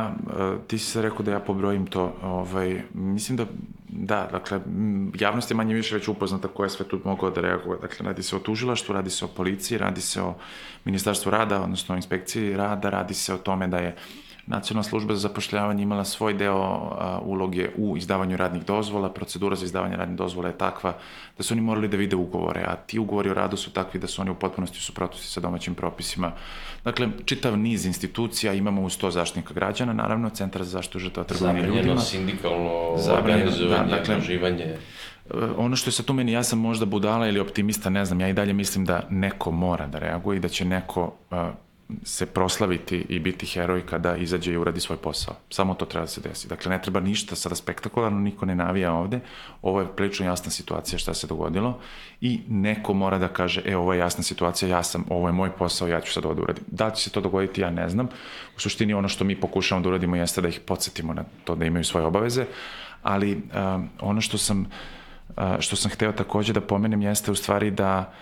ti si sad rekao da ja pobrojim to, mislim da, dakle, javnost je manje više već upoznata ko je sve tu mogao da reaguje, dakle, radi se o tužilaštvu, radi se o policiji, radi se o Ministarstvu rada, odnosno o inspekciji rada, radi se o tome da je Nacionalna služba za zapošljavanje imala svoj deo uloge u izdavanju radnih dozvola, procedura za izdavanje radnih dozvola je takva da su oni morali da vide ugovore, a ti ugovori o radu su takvi da su oni u potpunosti u suprotnosti sa domaćim propisima. Dakle, čitav niz institucija, imamo uz to Zaštitnika građana, naravno, Centar za zaštitu žrtava trgovine ljudima. Zabranjeno sindikalno organizovanje, uživanje. Ono što je sad tu meni, ja sam možda budala ili optimista, ne znam, ja i dalje mislim da neko mora da reaguje i da će neko se proslaviti i biti heroj kada izađe i uradi svoj posao. Samo to treba da se desi. Dakle, ne treba ništa sada spektakularno, niko ne navija ovde. Ovo je prilično jasna situacija šta se dogodilo i neko mora da kaže, ovo je jasna situacija, ovo je moj posao, ja ću sad ovo da uradim. Da će se to dogoditi, ja ne znam. U suštini ono što mi pokušavamo da uradimo jeste da ih podsjetimo na to da imaju svoje obaveze, ali ono što sam hteo takođe da pomenem jeste u stvari da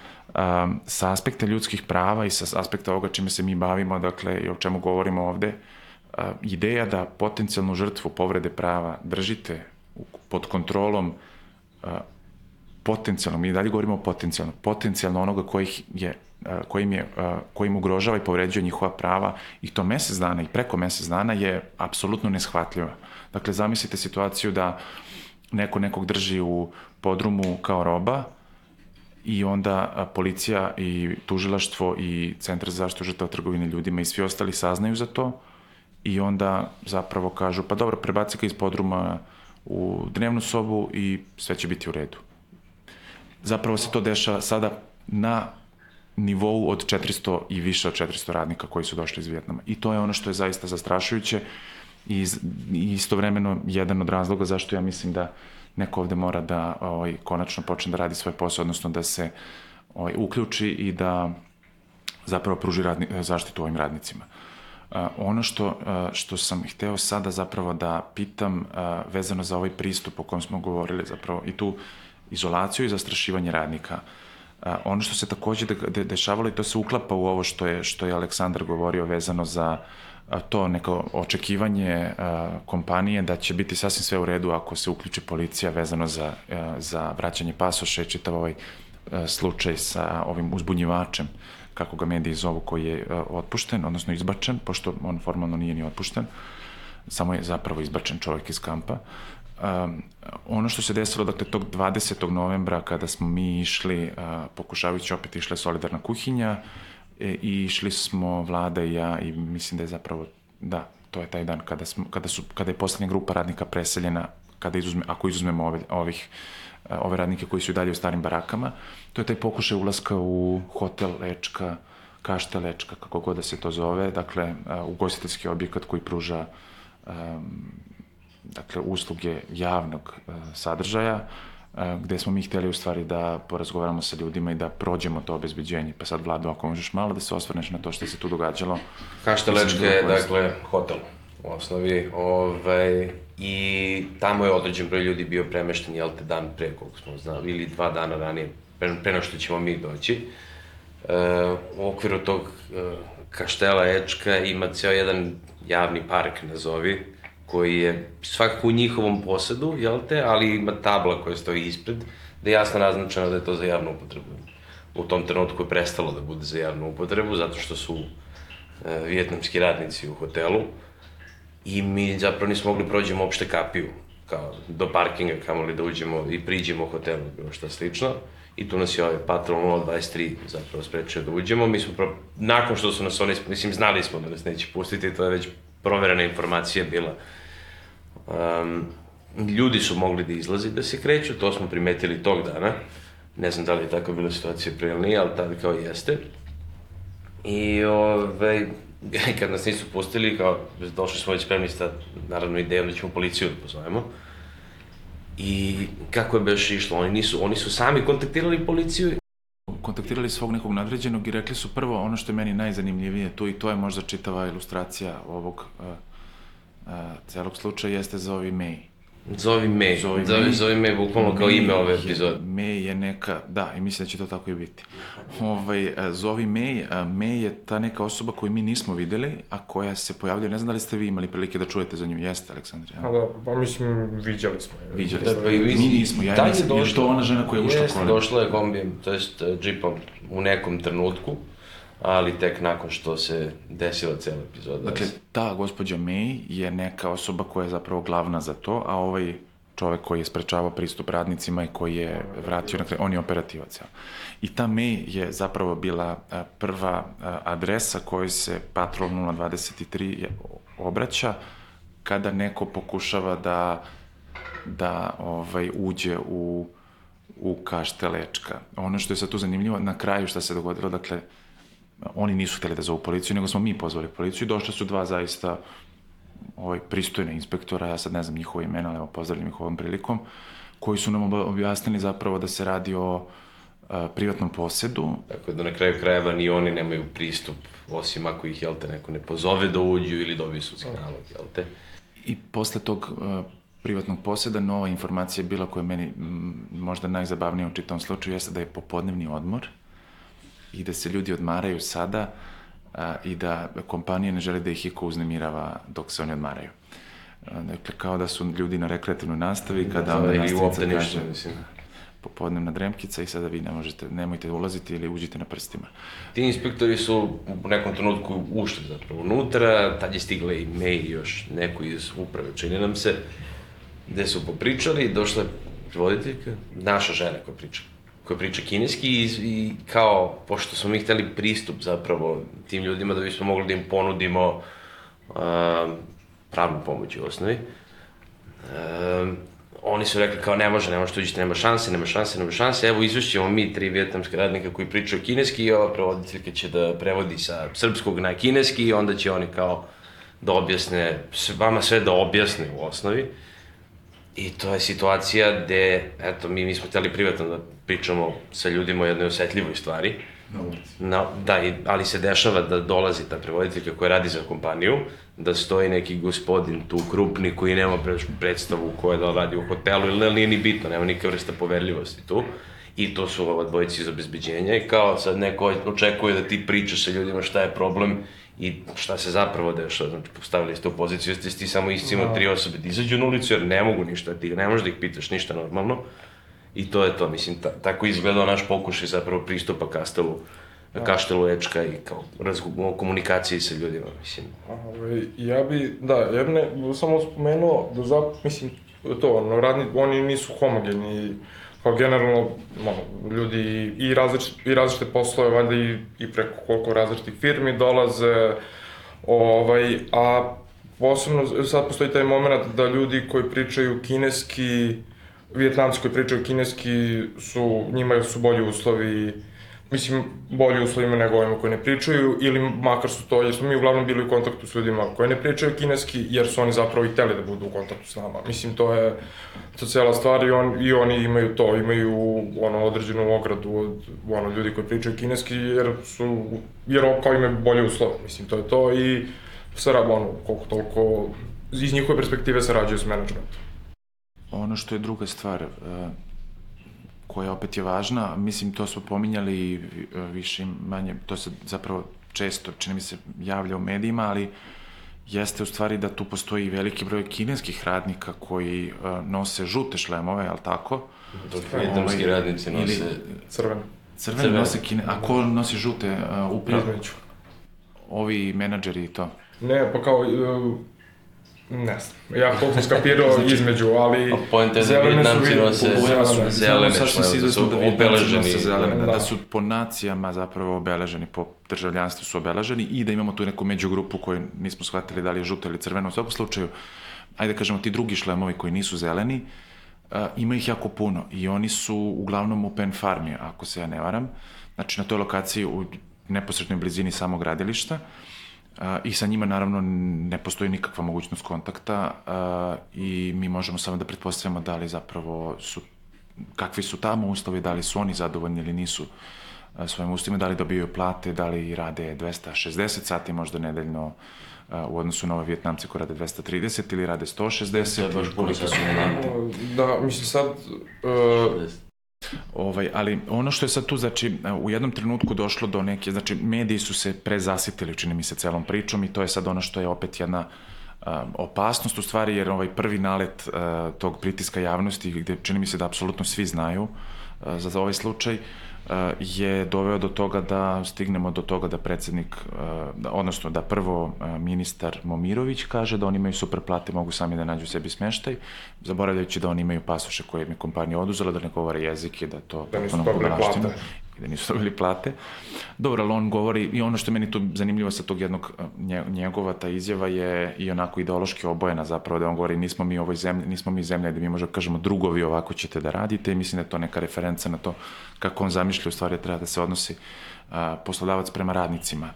sa aspekta ljudskih prava i sa aspekta ovoga čime se mi bavimo, dakle, i o čemu govorimo ovde, ideja da potencijalnu žrtvu povrede prava držite pod kontrolom potencijalno, mi dalje govorimo potencijalno onoga kojim ugrožava i povređuje njihova prava i to mesec dana i preko mesec dana je apsolutno neshvatljiva. Dakle, zamislite situaciju da neko nekog drži u podrumu kao roba i onda policija i tužilaštvo i Centar za zaštitu žrtava trgovine ljudima i svi ostali saznaju za to i onda zapravo kažu, pa dobro, prebaci ga iz podruma u dnevnu sobu i sve će biti u redu. Zapravo se to dešava sada na nivou od 400 i više od 400 radnika koji su došli iz Vijetnama. I to je ono što je zaista zastrašujuće i istovremeno jedan od razloga zašto ja mislim da neko ovde mora da konačno počne da radi svoj posao, odnosno da se uključi i da zapravo pruži zaštitu ovim radnicima. Ono što sam hteo sada zapravo da pitam vezano za ovaj pristup o kojem smo govorili zapravo i tu izolaciju i zastrašivanje radnika. Ono što se takođe dešavalo i to se uklapa u ovo što je Aleksandar govorio vezano za to neko očekivanje kompanije da će biti sasvim sve u redu ako se uključi policija vezano za vraćanje pasoša i čitav ovaj slučaj sa ovim uzbunjivačem, kako ga mediji zovu, koji je otpušten, odnosno izbačen, pošto on formalno nije ni otpušten, samo je zapravo izbačen čovjek iz kampa. Ono što se desilo, dakle, tog 20. novembra kada smo mi išli, pokušavajući opet išla je solidarna kuhinja, i išli smo, Vlada i ja, i mislim da je zapravo, da, to je taj dan kada je poslednja grupa radnika preseljena, ako izuzmemo ove radnike koji su i dalje u starim barakama, to je taj pokušaj ulaska u hotel Lečka, Kaštel Lečka, kako god da se to zove, dakle, ugostiteljski objekat koji pruža dakle, usluge javnog sadržaja, gde smo mi hteli u stvari da porazgovaramo sa ljudima i da prođemo to obezbeđenje. Pa sad, Vlado, ako možeš malo da se osvrneš na to što se tu događalo. Kaštel Lečka je, dakle, hotel u osnovi, i tamo je određen broj ljudi bio premešten, dan pre, koliko smo znali, ili 2 dana ranije, pre nego što ćemo mi doći. U okviru tog Kaštela Lečka ima ceo jedan javni park, nazovi, koji je svakako u njihovom posedu, ali ima tabla koja stoji ispred, da je jasno naznačeno da je to za javnu upotrebu. U tom trenutku je prestalo da bude za javnu upotrebu, zato što su vijetnamski radnici u hotelu i mi zapravo nismo mogli prođemo uopšte kapiju, kao do parkinga, kamoli da uđemo i priđemo u hotelu, bilo šta slično. I tu nas je ovaj patrol 023 zapravo sprečio da uđemo. Mi smo, nakon što su nas oni, mislim, znali smo da nas neće pustiti, to je već proverena informacija bila. Ljudi su mogli da izlazi, da se kreću, to smo primetili tog dana. Ne znam da li je tako bila situacija pre ili nije, ali tada kao jeste. I kad nas nisu pustili, kao došli smo već spremni sa, naravno, idejom da ćemo policiju da pozovemo. I kako je baš išlo, oni su sami kontaktirali policiju. Kontaktirali svog nekog nadređenog i rekli su prvo ono što je meni najzanimljivije tu, i to je možda čitava ilustracija ovog celog slučaja, jeste Zovi May. Zovi May, bukvalno kao ime ove epizode. May je neka, da, i mislim da će to tako i biti. Zovi May je ta neka osoba koju mi nismo videli, a koja se pojavlja, ne znam da li ste vi imali prilike da čujete za nju, jeste, Aleksandre? Pa mislim, viđali smo. Viđali smo, mi nismo, ja nisam, je to ona žena koja je ušla kolem? Jeste, došla je kombijem, to jest džipom u nekom trenutku, ali tek nakon što se desila cela epizoda. Dakle, ta gospođa May je neka osoba koja je zapravo glavna za to, a ovaj čovek koji je sprečavao pristup radnicima i koji je vratio, dakle, on je operativac. I ta May je zapravo bila prva adresa kojoj se patrol 023 obraća kada neko pokušava da uđe u Kaštel Lečka. Ono što je sad tu zanimljivo, na kraju šta se dogodilo, dakle, oni nisu hteli da zovu policiju, nego smo mi pozvali policiju i došle su dva zaista pristojne inspektora, ja sad ne znam njihove imena, ali evo pozdravljam ih ovom prilikom, koji su nam objasnili zapravo da se radi o privatnom posedu. Tako da na kraju krajeva ni oni nemaju pristup, osim ako ih, jel te, neko ne pozove da uđu ili dobiju sudski nalog, jel te? I posle tog privatnog poseda nova informacija je bila koja je meni možda najzabavnija u čitavom slučaju, jeste da je popodnevni odmor i da se ljudi odmaraju sada i da kompanija ne želi da ih iko uznemirava dok se oni odmaraju. Dakle, kao da su ljudi na rekreativnoj nastavi, kada onda nastavnica kaže popodnevna dremkica i sada vi nemojte ulaziti ili uđite na prstima. Ti inspektori su u nekom trenutku ušli zapravo unutra, tad je stigla i mail još neko iz uprave, čini nam se, gde su popričali, došla je prevoditeljka, naša žena koja priča kineski i kao, pošto smo mi hteli pristup zapravo tim ljudima da bismo mogli da im ponudimo pravnu pomoć u osnovi, oni su rekli kao ne može uđiti, nema šanse, evo izvešćemo mi 3 vijetnamske radnika koji pričaju kineski i ova prevoditeljka će da prevodi sa srpskog na kineski i onda će oni kao da objasne, vama sve da objasne u osnovi. I to je situacija gde, eto, mi smo hteli privatno da pričamo sa ljudima o jednoj osetljivoj stvari. Da, ali se dešava da dolazi ta prevoditeljka koja radi za kompaniju, da stoji neki gospodin tu krupni koji nema predstavu koja da radi u hotelu ili nije ni bitno, nema nikakve vrsta poverljivosti tu. I to su ova dvojica iz obezbeđenja i kao sad neko očekuje da ti pričaš sa ljudima šta je problem i šta se zapravo dešava. Znači, postavili ste u poziciju, ste ti samo iscimao 3 osobe da izađu na ulicu jer ne mogu ništa, ti ne možeš da ih pitaš ništa normalno. I to je to, mislim, tako izgledao naš pokušaj zapravo pristupa Kaštelu Ečka i kao komunikaciji sa ljudima, mislim. Ja bi samo spomenuo da mislim, oni nisu homogeni, kao generalno, ljudi i različite poslove, valjda i preko koliko različitih firmi dolaze, a posebno sad postoji taj moment da ljudi koji pričaju kineski, Vijetnamci koji pričaju kineski, njima su bolji uslovi, mislim, bolji uslovima nego ovima koji ne pričaju, ili makar su to, jer smo mi uglavnom bili u kontaktu s ljudima koji ne pričaju kineski, jer su oni zapravo i hteli da budu u kontaktu s nama. Mislim, to je cela stvar i oni imaju to, imaju određenu ogradu od ljudi koji pričaju kineski, jer kao imaju bolje uslove. Mislim, to je to i koliko toliko iz njihove perspektive sarađuju s menadžmentom. Ono što je druga stvar, koja opet je važna, mislim, to smo pominjali i više manje, to se zapravo često, čini mi se, javlja u medijima, ali jeste u stvari da tu postoji veliki broj kineskih radnika koji nose žute šlemove, ali tako? Dok vijetnamski radnici nose crvene. Crvene nose a ko nosi žute upravo? Između. Ovi menadžeri i to? Ne, pa kao... Ne znam, ja koliko sam skapirao između, ali zelene su zelene su obeleženi. Da su po nacijama zapravo obeleženi, po državljanstvu su obeleženi i da imamo tu neku međugrupu koju nismo shvatili da li je žuto ili crveno. U svakom slučaju, ajde kažemo, ti drugi šlemovi koji nisu zeleni, ima ih jako puno i oni su uglavnom u Pen Farmi, ako se ja ne varam. Znači na toj lokaciji u neposrednoj blizini samog gradilišta. I sa njima naravno ne postoji nikakva mogućnost kontakta i mi možemo samo da pretpostavimo da li zapravo kakvi su tamo uslovi, da li su oni zadovoljni ili nisu svojim uslovima, da li dobijaju plate, da li rade 260 sati možda nedeljno u odnosu na ove Vijetnamce koji rade 230 ili rade 160 koliko su plate. Da, mislim sad... Ali ono što je sad tu, znači, u jednom trenutku došlo do neke, znači, mediji su se prezasitili, čini mi se, celom pričom i to je sad ono što je opet jedna opasnost u stvari, jer prvi nalet tog pritiska javnosti, gde čini mi se da apsolutno svi znaju za ovaj slučaj, je doveo do toga da stignemo do toga da predsednik, odnosno da prvo ministar Momirović kaže da oni imaju super plate, mogu sami da nađu sebi smeštaj, zaboravljajući da oni imaju pasoše koje im je kompanija oduzela, da ne govore jezik i da to potpuno budalaština. i da nisu dobili plate. Dobro, ali on govori, i ono što je meni tu zanimljivo sa tog jednog njegova, ta izjava je i onako ideološki obojena zapravo, da on govori nismo mi ovoj zemlji, nismo mi zemlja da mi možemo kažemo drugovi ovako ćete da radite, i mislim da je to neka referenca na to kako on zamišlja u stvari treba da se odnosi poslodavac prema radnicima.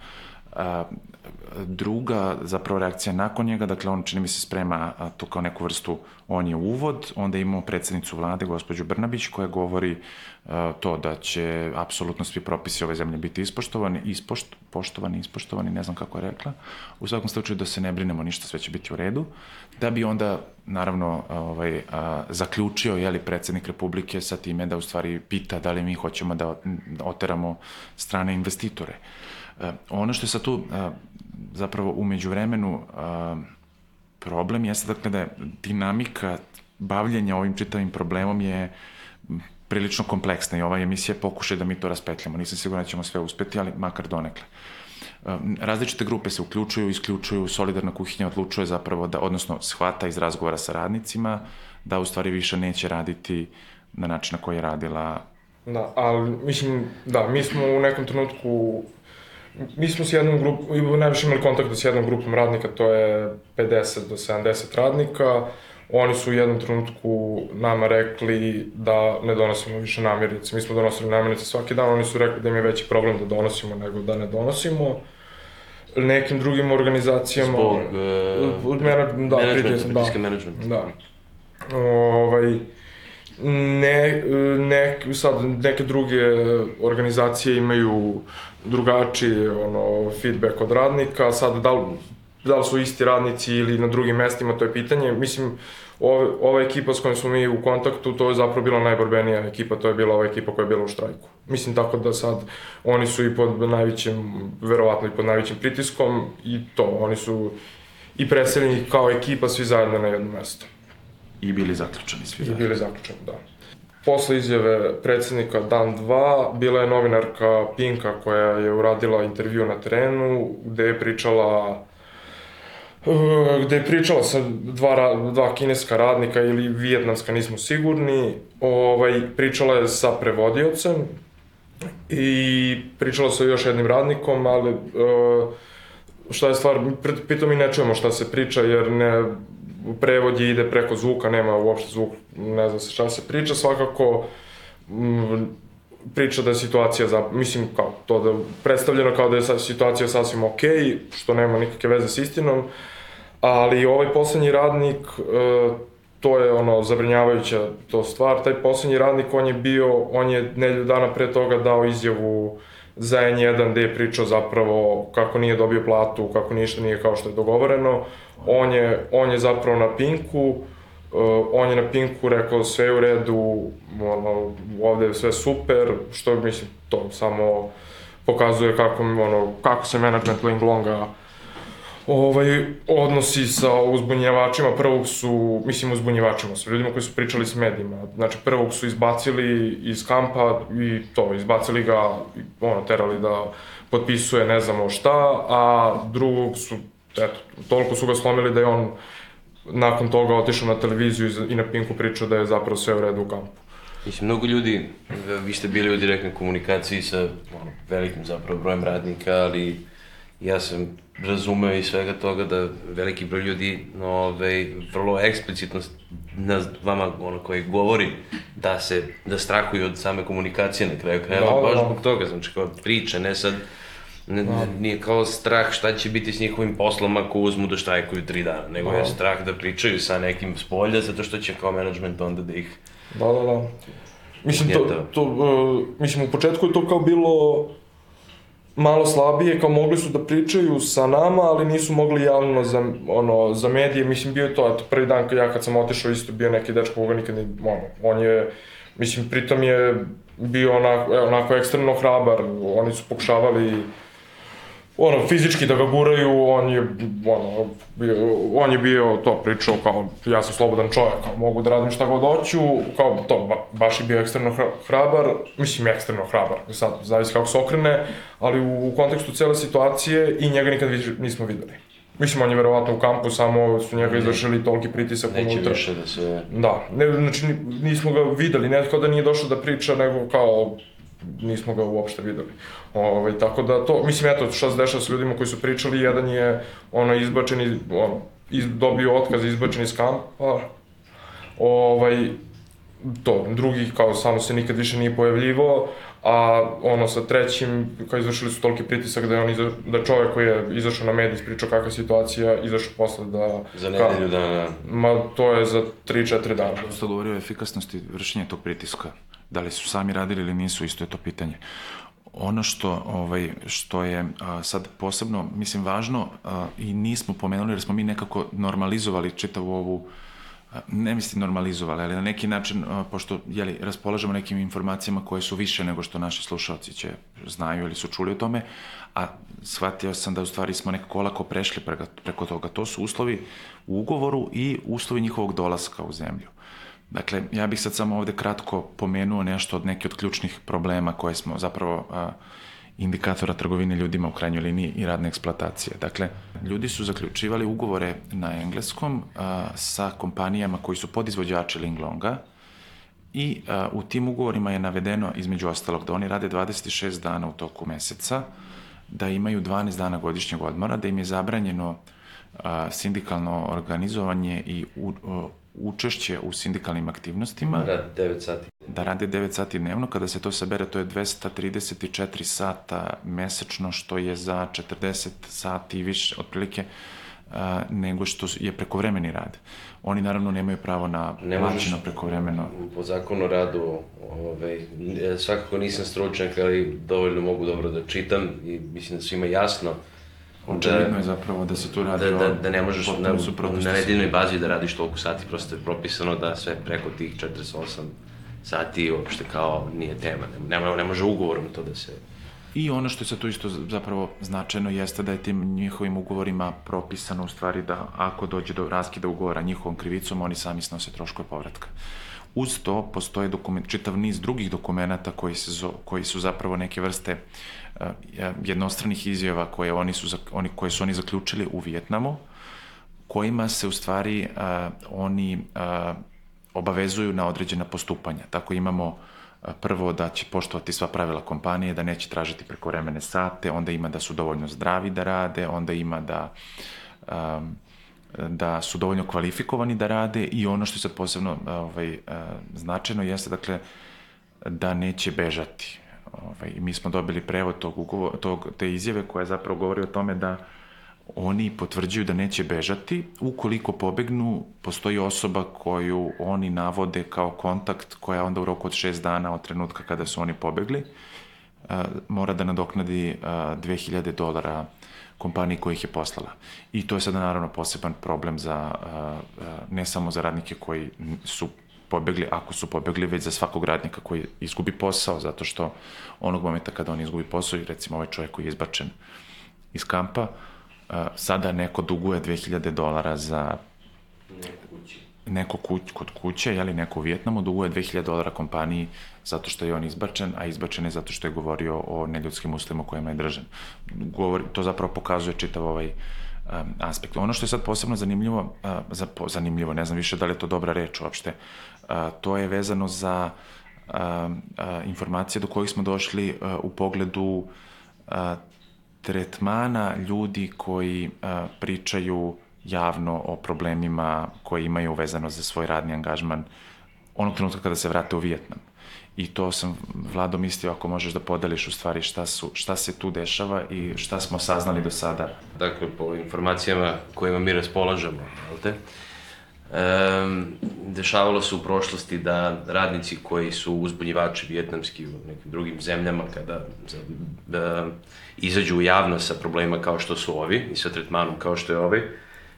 Druga zapravo reakcija nakon njega, dakle on čini mi se sprema to kao neku vrstu, on je uvod, onda imamo predsjednicu vlade, gospođu Brnabić, koja govori to da će apsolutno svi propisi ove zemlje biti ispoštovani, ne znam kako je rekla, u svakom slučaju da se ne brinemo ništa, sve će biti u redu, da bi onda naravno zaključio predsjednik Republike sa time da u stvari pita da li mi hoćemo da oteramo strane investitore. Ono što je sad tu zapravo u međuvremenu problem jeste dakle da je dinamika bavljenja ovim čitavim problemom je prilično kompleksna i ova emisija pokušaj da mi to raspetljamo. Nisam siguran da ćemo sve uspeti, ali makar donekle. Različite grupe se uključuju, isključuju, Solidarna kuhinja odlučuje zapravo da, odnosno shvata iz razgovora sa radnicima, da u stvari više neće raditi na način na koji je radila. Da, ali mislim, da, mi smo u nekom trenutku mi smo s jednom grupom, najviše imali kontakta s jednom grupom radnika, to je 50 do 70 radnika. Oni su u jednom trenutku nama rekli da ne donosimo više namirnice. Mi smo donosili namirnice svaki dan, oni su rekli da im je veći problem da donosimo nego da ne donosimo. Nekim drugim organizacijama... Zbog pritiska menadžmenta. Da. Sad neke druge organizacije imaju drugačiji feedback od radnika, sad da li su isti radnici ili na drugim mestima, to je pitanje. Mislim, ova ekipa s kojom smo mi u kontaktu, to je zapravo bila najborbenija ekipa, to je bila ova ekipa koja je bila u štrajku. Mislim, tako da sad oni su i pod najvećim, verovatno i pod najvećim pritiskom i to, oni su i preseljeni kao ekipa svi zajedno na jedno mesto. I bili zaključani svi zajedno. I bili zaključani, da. Posle izjave predsjednika dan 2, bila je novinarka Pinka koja je uradila intervju na terenu gde je pričala sa dva kineska radnika ili vijetnamska, nismo sigurni. Pričala je sa prevodiocem i pričala sa još jednim radnikom, ali šta je stvar, pritom mi ne čujemo šta se priča jer prevod ide preko zvuka, nema uopšte zvuk, ne znam se šta se priča, svakako priča da je situacija, mislim kao to da je predstavljeno kao da je situacija sasvim okej, što nema nikakve veze s istinom, ali ovaj poslednji radnik, to je zabrinjavajuća to stvar, taj poslednji radnik on je nedelju dana pre toga dao izjavu za N1 gde je pričao zapravo kako nije dobio platu, kako ništa nije kao što je dogovoreno. On je zapravo na Pinku rekao sve je u redu, ovde je sve super, što mislim to samo pokazuje kako se management Linglonga odnosi sa uzbunjivačima. Prvog su, uzbunjivačima, sa ljudima koji su pričali s medijima. Znači, prvog su izbacili iz kampa i to, izbacili ga, terali da potpisuje ne znamo šta, a drugog su, toliko su ga slomili da je on nakon toga otišao na televiziju i na Pinku pričao da je zapravo sve u redu u kampu. Mislim, mnogo ljudi, vi ste bili u direktnoj komunikaciji sa velikim zapravo brojem radnika, ali ja sam razumeo iz svega toga da veliki broj ljudi vrlo eksplicitno na vama koji govori da strahuju od same komunikacije na kraju krajeva, baš zbog toga, znači kao priča, ne sad, nije kao strah šta će biti s njihovim poslom ako uzmu da štrajkuju 3 dana, nego je strah da pričaju sa nekim s polja zato što će kao menadžment onda da ih... Da. Mislim, u početku je to kao bilo malo slabije, kao mogli su da pričaju sa nama, ali nisu mogli javno za medije. Mislim, bio je to, prvi dan kad sam otišao isto bio neki dečko koga nikad on je, mislim, pritom je bio onako ekstremno hrabar, oni su pokušavali fizički da ga guraju, on je bio to pričao kao ja sam slobodan čovjek, kao mogu da radim šta god hoću, kao to, baš je bio ekstremno hrabar, mislim ekstremno hrabar, sad zavisi kako se okrene, ali u kontekstu cele situacije i njega nikad nismo videli. Mislim, on je verovatno u kampu, samo su njega izvršili toliki pritisak unutra. Neće više da se... Da, znači nismo ga videli, ne kao da nije došao da priča, nego kao nismo ga uopšte videli. Tako da to, mislim, eto, šta se dešava s ljudima koji su pričali, jedan je izbačen, dobio otkaz, izbačen iz kampa, drugi kao samo se nikad više nije pojavljivao, a sa trećim, kao izvršili su toliki pritisak da čovek koji je izašao na medij ispričao kakva situacija, izašao posle da... Za nedelju dana. Ma, to je za 3-4 dana. Dosta govorio o efikasnosti vršenja tog pritiska. Da li su sami radili ili nisu, isto je to pitanje. Ono što je sad posebno, mislim, važno i nismo pomenuli, jer smo mi nekako normalizovali čitavu ovu, ne mislim normalizovali, ali na neki način, pošto raspolažemo nekim informacijama koje su više nego što naši slušalci znaju ili su čuli o tome, a shvatio sam da u stvari smo nekako olako prešli preko toga. To su uslovi u ugovoru i uslovi njihovog dolaska u zemlju. Dakle, ja bih sad samo ovde kratko pomenuo nešto od neke od ključnih problema koje smo zapravo indikatora trgovine ljudima u krajnjoj liniji i radne eksploatacije. Dakle, ljudi su zaključivali ugovore na engleskom sa kompanijama koji su podizvođači Linglonga i u tim ugovorima je navedeno, između ostalog, da oni rade 26 dana u toku meseca, da imaju 12 dana godišnjeg odmora, da im je zabranjeno sindikalno organizovanje i učešće u sindikalnim aktivnostima. Da rade 9 sati dnevno. Kada se to sabere, to je 234 sata mesečno, što je za 40 sati više, otprilike, nego što je prekovremeni rad. Oni naravno nemaju pravo na plaćeno prekovremeno. Po zakonu o radu, svakako nisam stručnjak, ali dovoljno mogu dobro da čitam i mislim da svima jasno. Očevidno je zapravo da se tu radi da ne možeš na nedeljnoj bazi da radiš toliko sati, prosto je propisano da sve preko tih 48 sati uopšte kao nije tema, ne može ugovorom to da se... I ono što je sad tu isto zapravo značajno jeste da je tim njihovim ugovorima propisano u stvari da ako dođe do raskida ugovora njihovom krivicom, oni sami snose troškove povratka. Uz to postoje čitav niz drugih dokumenata koji su zapravo neke vrste jednostranih izjava koje su oni zaključili u Vijetnamu, kojima se u stvari oni obavezuju na određena postupanja. Tako imamo prvo da će poštovati sva pravila kompanije, da neće tražiti prekovremene sate, onda ima da su dovoljno zdravi da rade, onda ima da su dovoljno kvalifikovani da rade i ono što je sad posebno značajno jeste, dakle, da neće bežati. Mi smo dobili prevod te izjave koja zapravo govori o tome da oni potvrđuju da neće bežati. Ukoliko pobegnu, postoji osoba koju oni navode kao kontakt, koja onda u roku od 6 dana od trenutka kada su oni pobegli mora da nadoknadi $2.000 kompaniji koja ih je poslala. I to je sada naravno poseban problem ne samo za radnike koji su pobegli, ako su pobegli, već za svakog radnika koji izgubi posao, zato što onog momenta kada on izgubi posao, i recimo ovaj čovjek koji je izbačen iz kampa, sada neko duguje $2.000 za neko kod kuće, neko u Vijetnamu duguje $2.000 kompaniji zato što je on izbačen, a izbačen je zato što je govorio o neljudskim uslovima u kojima je držan. To zapravo pokazuje čitav ovaj aspekt. Ono što je sad posebno zanimljivo, ne znam više da li je to dobra reč uopšte, to je vezano za informacije do kojih smo došli u pogledu tretmana ljudi koji pričaju javno o problemima koje imaju vezano za svoj radni angažman onog trenutka kada se vrate u Vijetnam. I to sam, Vlado, mislio ako možeš da podeliš u stvari šta se tu dešava i šta smo saznali do sada. Dakle, po informacijama kojima mi raspolažemo, dešavalo se u prošlosti da radnici koji su uzbunjivači vijetnamski u nekim drugim zemljama, kada izađu u javnost sa problemima kao što su ovi i sa tretmanom kao što je ovaj,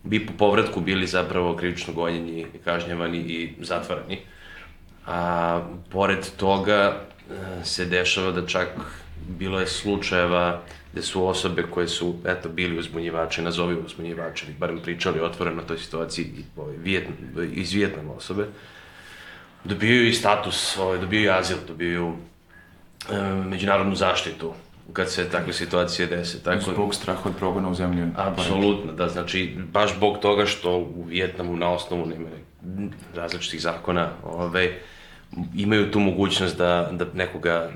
bi po povratku bili zapravo krivično gonjeni, kažnjavani i zatvarani. A pored toga se dešava da čak bilo je slučajeva gde su osobe koje su, bili uzbunjivači, nazovi uzbunjivači, ili barem pričali otvoreno o toj situaciji iz Vijetnama osobe, dobijaju i status, dobijaju azil, dobijaju međunarodnu zaštitu kad se takve situacije dese. Zbog straha od progona u zemlji. Apsolutno, da, znači, baš zbog toga što u Vijetnamu na osnovu nema različitih zakona, imaju tu mogućnost da nekoga,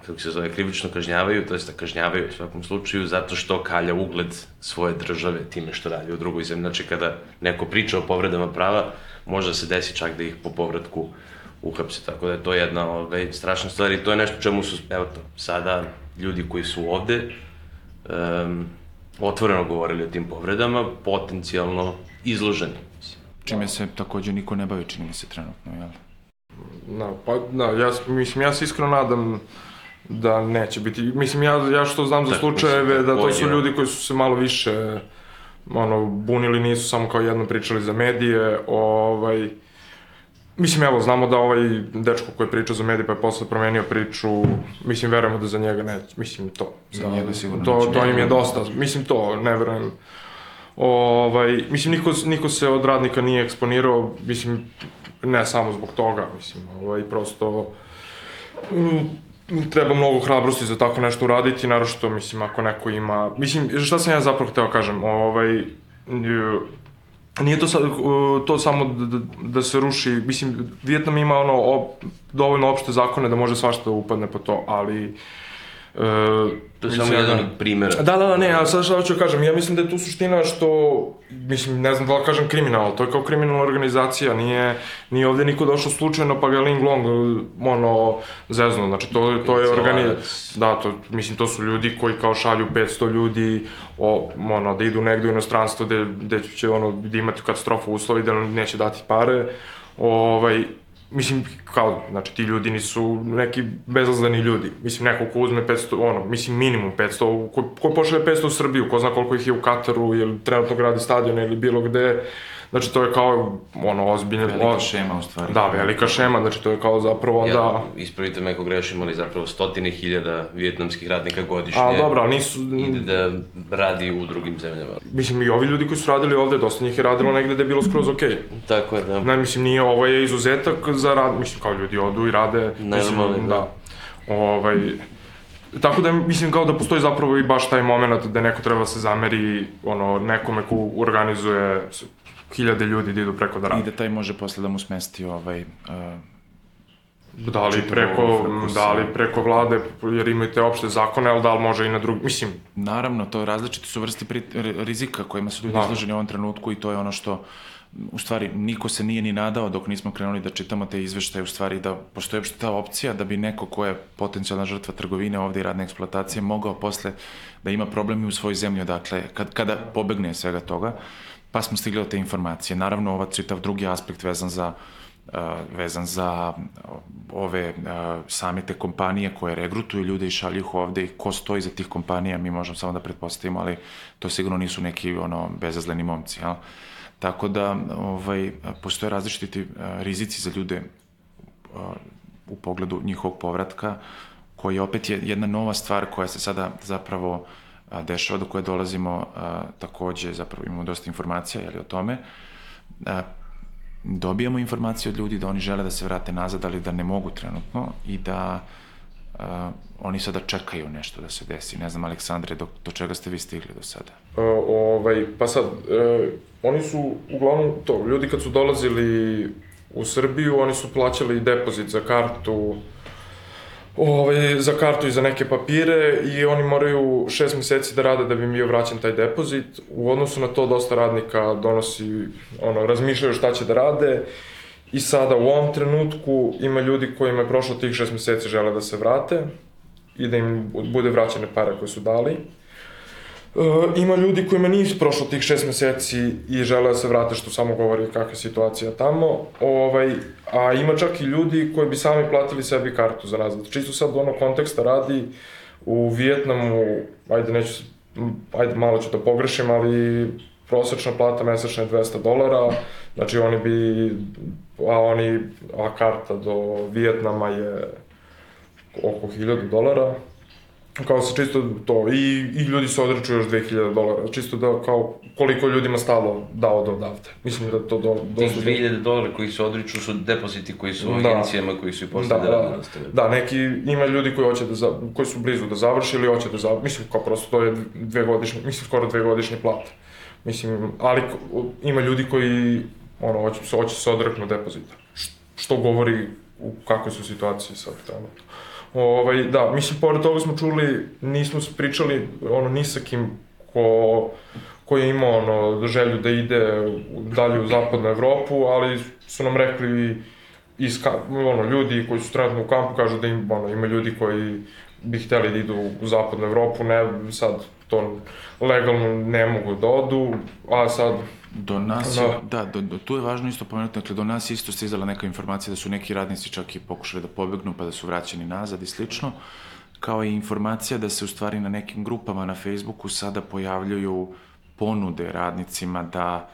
kako se zove, krivično kažnjavaju, to jest da kažnjavaju u svakom slučaju, zato što kalja ugled svoje države time što radi u drugoj zemlji. Znači, kada neko priča o povredama prava, može da se desi čak da ih po povratku uhapse, tako da je to jedna strašna stvar i to je nešto čemu su, evo to, sada ljudi koji su ovde otvoreno govorili o tim povredama, potencijalno izloženi. Čime se takođe niko ne bavi, čini mi se trenutno, jel? Ja se iskreno nadam da neće biti. Mislim, ja što znam za slučajeve, da to su ljudi koji su se malo više bunili, nisu samo kao jedno pričali za medije, mislim, evo, znamo da ovaj dečko koji je pričao za medije pa je posle promenio priču, mislim, verujemo da za njega neće, mislim, to. Za njega sigurno neće. To im je dosta, mislim, to, ne verujem. Mislim, niko se od radnika nije eksponirao, mislim, ne samo zbog toga, mislim, prosto treba mnogo hrabrosti za tako nešto uraditi, naročito, mislim, ako neko ima, mislim, šta sam ja zapravo hteo kažem, nije to samo da se ruši, mislim, Vijetnam ima dovoljno opšte zakone da može svašta da upadne po to, ali to je samo jedan od primjera. Da, ne, a sad šta hoću kažem, ja mislim da je tu suština što, mislim, ne znam da li kažem kriminal, to je kao kriminalna organizacija, nije ovde niko došao slučajno pa ga Ling Long, zezno, znači to je da, mislim, to su ljudi koji kao šalju 500 ljudi, da idu negde u inostranstvo gde će, da imati katastrofu uslovi, da neće dati pare, mislim, kao, znači, ti ljudi nisu neki bezazleni ljudi. Mislim, neko ko uzme 500, mislim, minimum 500, ko pošalje 500 u Srbiju, ko zna koliko ih je u Kataru, ili trenutno gradi stadion ili bilo gde. Znači, to je kao, ozbiljno... Velika šema, u stvari. Da, velika šema, znači, to je kao zapravo onda... Ispravite me ako grešim, ali zapravo 100.000 vijetnamskih radnika godišnje... A, dobro, ali nisu... Ide da radi u drugim zemljama. Mislim, i ovi ljudi koji su radili ovde, dosta njih je radilo negde da je bilo skroz okej. Tako je, da. Ne, mislim, nije, ovo je izuzetak za rad, mislim, kao ljudi odu i rade... Normalno, da. Tako da, mislim, kao da postoji zapravo i baš taj moment da neko treba se zameri, nekome ko organizuje 1000 ljudi da idu preko da rade. I da taj može posle da mu smesti Da li preko vlade, jer imaju te opšte zakone, ali da li može i na drugi, mislim... Naravno, to različite su vrste rizika kojima su ljudi izloženi u ovom trenutku i to je ono što, u stvari, niko se nije ni nadao dok nismo krenuli da čitamo te izveštaje, u stvari da postoji uopšte ta opcija da bi neko ko je potencijalna žrtva trgovine ovde i radne eksploatacije mogao posle da ima problem i u svojoj zemlji, dakle, kada pobegne svega toga, pa smo stigli do te informacije. Naravno, ovaj čitav drugi aspekt vezan za ove same te kompanije koje regrutuju ljude i šalju ih ovde i ko stoji za tih kompanija, mi možemo samo da pretpostavimo, ali to sigurno nisu neki bezazleni momci, jel? Tako da postoje različiti rizici za ljude u pogledu njihovog povratka, koji opet je jedna nova stvar koja se sada zapravo dešava, do koje dolazimo takođe, zapravo imamo dosta informacija o tome. Dobijamo informacije od ljudi da oni žele da se vrate nazad, ali da ne mogu trenutno i da oni sada čekaju nešto da se desi. Ne znam, Aleksandre, do čega ste vi stigli do sada? Pa sad, oni su uglavnom to, ljudi kad su dolazili u Srbiju, oni su plaćali depozit za kartu, i za neke papire i oni moraju 6 meseci da rade da bi im bio vraćen taj depozit. U odnosu na to dosta radnika razmišljaju šta će da rade i sada u ovom trenutku ima ljudi kojima je prošlo tih 6 meseci žele da se vrate i da im bude vraćene pare koje su dali. Ima ljudi kojima nije prošlo tih 6 meseci i žele da se vrate, što samo govori kakva je situacija tamo, a ima čak i ljudi koji bi sami platili sebi kartu za nazad. Čisto sad konteksta radi, u Vijetnamu, ajde malo ću da pogrešim, ali prosečna plata mesečna je $200, znači a karta do Vijetnama je oko $1000, kao se čisto to, i ljudi se odriču još $2000, čisto da kao koliko ljudima stalo dao do odavde. Mislim da to Tih $2000 koji se odriču su depoziti koji su u agencijama koji su i posle da rade nastavili. Da, neki, ima ljudi koji su blizu da završi ili hoće da završi, mislim kao prosto to je skoro 2-godišnje plate. Mislim, ali ima ljudi koji hoće se odreknu depozita. Što govori u kakvoj su situaciji sad trenutno. Da, mislim, pored toga smo čuli, nismo pričali ni sa kim ko je imao želju da ide dalje u zapadnu Evropu, ali su nam rekli ljudi koji su trenutno u kampu kažu da ima ljudi koji bi hteli da idu u zapadnu Evropu, ne, sad to legalno ne mogu da odu, a sad... Do nas, tu je važno isto pomenuti, dakle, do nas isto stizala neka informacija da su neki radnici čak i pokušali da pobegnu, pa da su vraćeni nazad i slično, kao i informacija da se u stvari na nekim grupama na Facebooku sada pojavljuju ponude radnicima da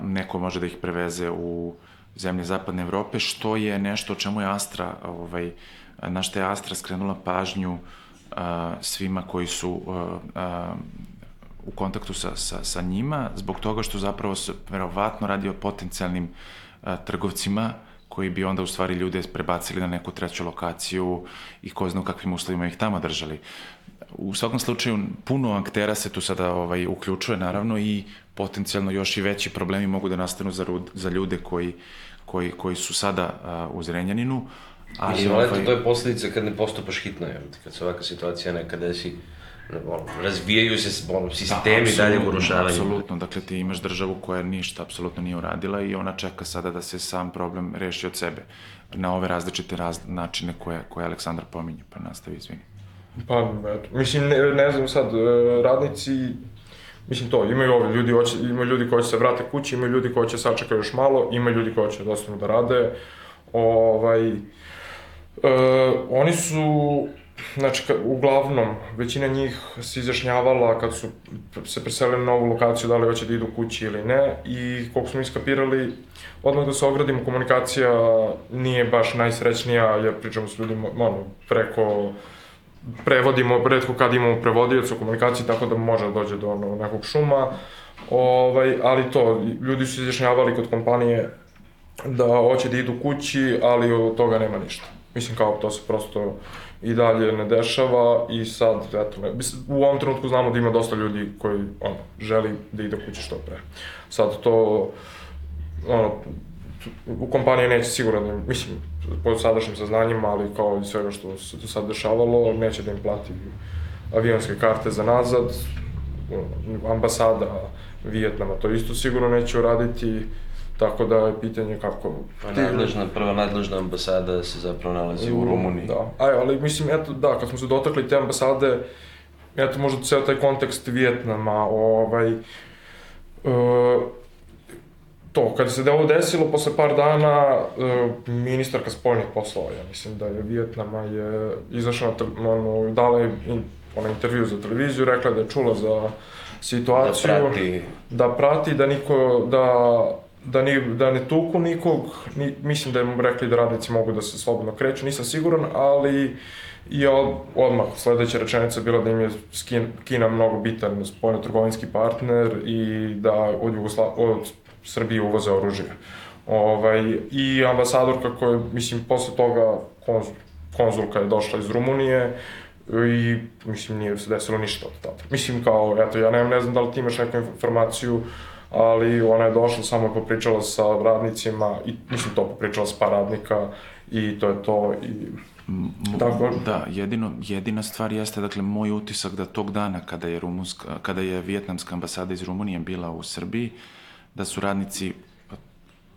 neko može da ih preveze u zemlje Zapadne Evrope, što je nešto o čemu je Astra, na što je Astra skrenula pažnju svima koji su u kontaktu sa njima, zbog toga što zapravo se verovatno radi o potencijalnim trgovcima koji bi onda u stvari ljude prebacili na neku treću lokaciju i ko zna u kakvim uslovima ih tamo držali. U svakom slučaju, puno aktera se tu sada uključuje, naravno, i potencijalno još i veći problemi mogu da nastanu za ljude koji su sada u Zrenjaninu. Mislim, to je posljedica kad ne postupaš hitno, kad se ovakva situacija nekada desi, razvijaju se sistemi dalje urušavanja. Apsolutno, dakle ti imaš državu koja ništa apsolutno nije uradila i ona čeka sada da se sam problem reši od sebe na ove različite načine koje Aleksandar pominje, pa nastavi, izvini. Pa, eto, mislim, ne znam sad, radnici, mislim to, imaju ljudi koji će se vrate kući, imaju ljudi koji će sačekati još malo, imaju ljudi koji će dostanu da rade, oni su, znači, uglavnom, većina njih se izjašnjavala kad su se preselili na novu lokaciju, da li hoće da idu kući ili ne, i koliko smo iskapirali, odmah da se ogradimo, komunikacija nije baš najsrećnija, jer pričamo s ljudima, prevodimo, redko kad imamo prevodioca u komunikaciji, tako da može da dođe do nekog šuma, ali to, ljudi su izjašnjavali kod kompanije da hoće da idu kući, ali od toga nema ništa. Mislim, kao to se prosto i dalje ne dešava i sad, eto, u ovom trenutku znamo da ima dosta ljudi koji, želi da ide kući što pre. Sad to, u kompaniji neće sigurno, mislim, po sadašnjim saznanjima, ali kao i svega što se do sad dešavalo, neće da im plati avionske karte za nazad, ambasada Vijetnama to isto sigurno neće uraditi, tako da je pitanje kako... Prva nadležna ambasada se zapravo nalazi u Rumuniji. Da, ali mislim, eto, da, kad smo se dotakli te ambasade, eto, možda ceo taj kontekst Vijetnama, to, kada se ovo desilo, posle par dana, ministarka spoljnih poslova, ja mislim da je Vijetnama je izašla, dala je intervju za televiziju, rekla da je čula za situaciju, da prati, da ne tuku nikog, mislim da je rekli da radnici mogu da se slobodno kreću, nisam siguran, ali je odmah sledeća rečenica bila da im je Kina mnogo bitan spoljno-trgovinski partner i da od Srbije uvoze oružje. I ambasadorka koja, mislim, posle toga konzulka je došla iz Rumunije i, mislim, nije se desilo ništa od tada. Mislim, kao, eto, ja ne znam da li ti imaš neku informaciju, ali ona je došla, samo je popričala sa radnicima i, mislim, to popričala s par radnika i to je to i... Da, jedina stvar jeste, dakle, moj utisak da tog dana kada je vijetnamska ambasada iz Rumunije bila u Srbiji, da su radnici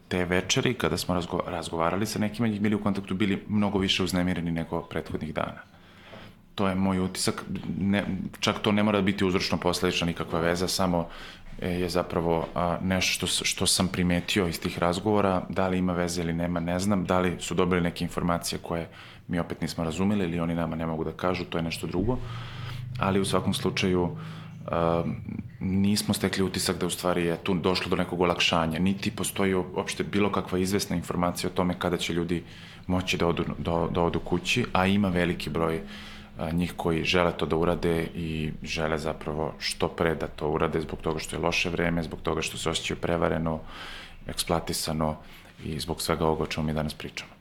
te večeri, kada smo razgovarali sa nekima, njih bili u kontaktu, bili mnogo više uznemireni nego prethodnih dana. To je moj utisak, čak to ne mora biti uzročno-posledična nikakva veza, samo je zapravo nešto što sam primetio iz tih razgovora, da li ima veze ili nema, ne znam, da li su dobili neke informacije koje mi opet nismo razumeli ili oni nama ne mogu da kažu, to je nešto drugo, ali u svakom slučaju nismo stekli utisak da u stvari je tu došlo do nekog olakšanja, niti postoji uopšte bilo kakva izvesna informacija o tome kada će ljudi moći da odu kući, a ima veliki broj njih koji žele to da urade i žele zapravo što pre da to urade zbog toga što je loše vreme, zbog toga što se osjećaju prevareno, eksploatisano i zbog svega ovoga o čemu mi danas pričamo.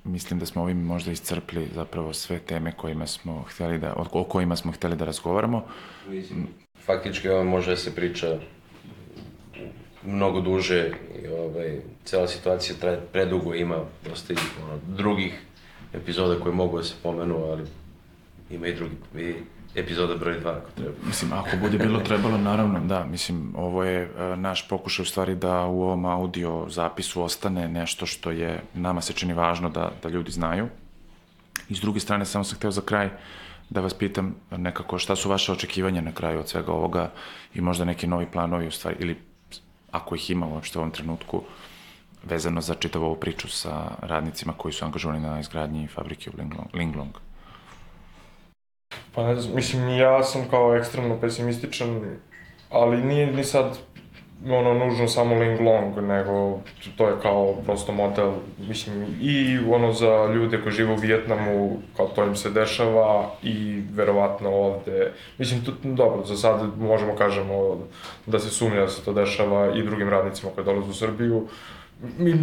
Mislim da smo ovim možda iscrpli zapravo sve teme o kojima smo hteli da razgovaramo. Faktički ovo može da se priča mnogo duže i cela situacija traje predugo, ima dosta drugih epizoda koje mogu da se pomenu, ali ima i drugi epizoda broj 2 ako treba. Mislim, ako bude bilo trebalo, naravno, da, mislim, ovo je naš pokušaj u stvari da u ovom audio zapisu ostane nešto što je, nama se čini važno da ljudi znaju. I s druge strane, samo sam hteo za kraj da vas pitam nekako šta su vaše očekivanja na kraju od svega ovoga i možda neki novi planovi u stvari, ili ako ih ima uopšte u ovom trenutku, vezano za čitavu ovu priču sa radnicima koji su angažovani na izgradnji fabrike u Linglong. Pa ne znam, mislim, ja sam kao ekstremno pesimističan, ali nije ni sad nužno samo Linglong, nego to je kao prosto model, mislim, i za ljude koji žive u Vijetnamu, kao to im se dešava i verovatno ovde, mislim, dobro, za sad možemo kažemo da se sumnja da se to dešava i drugim radnicima koji dolaze u Srbiju.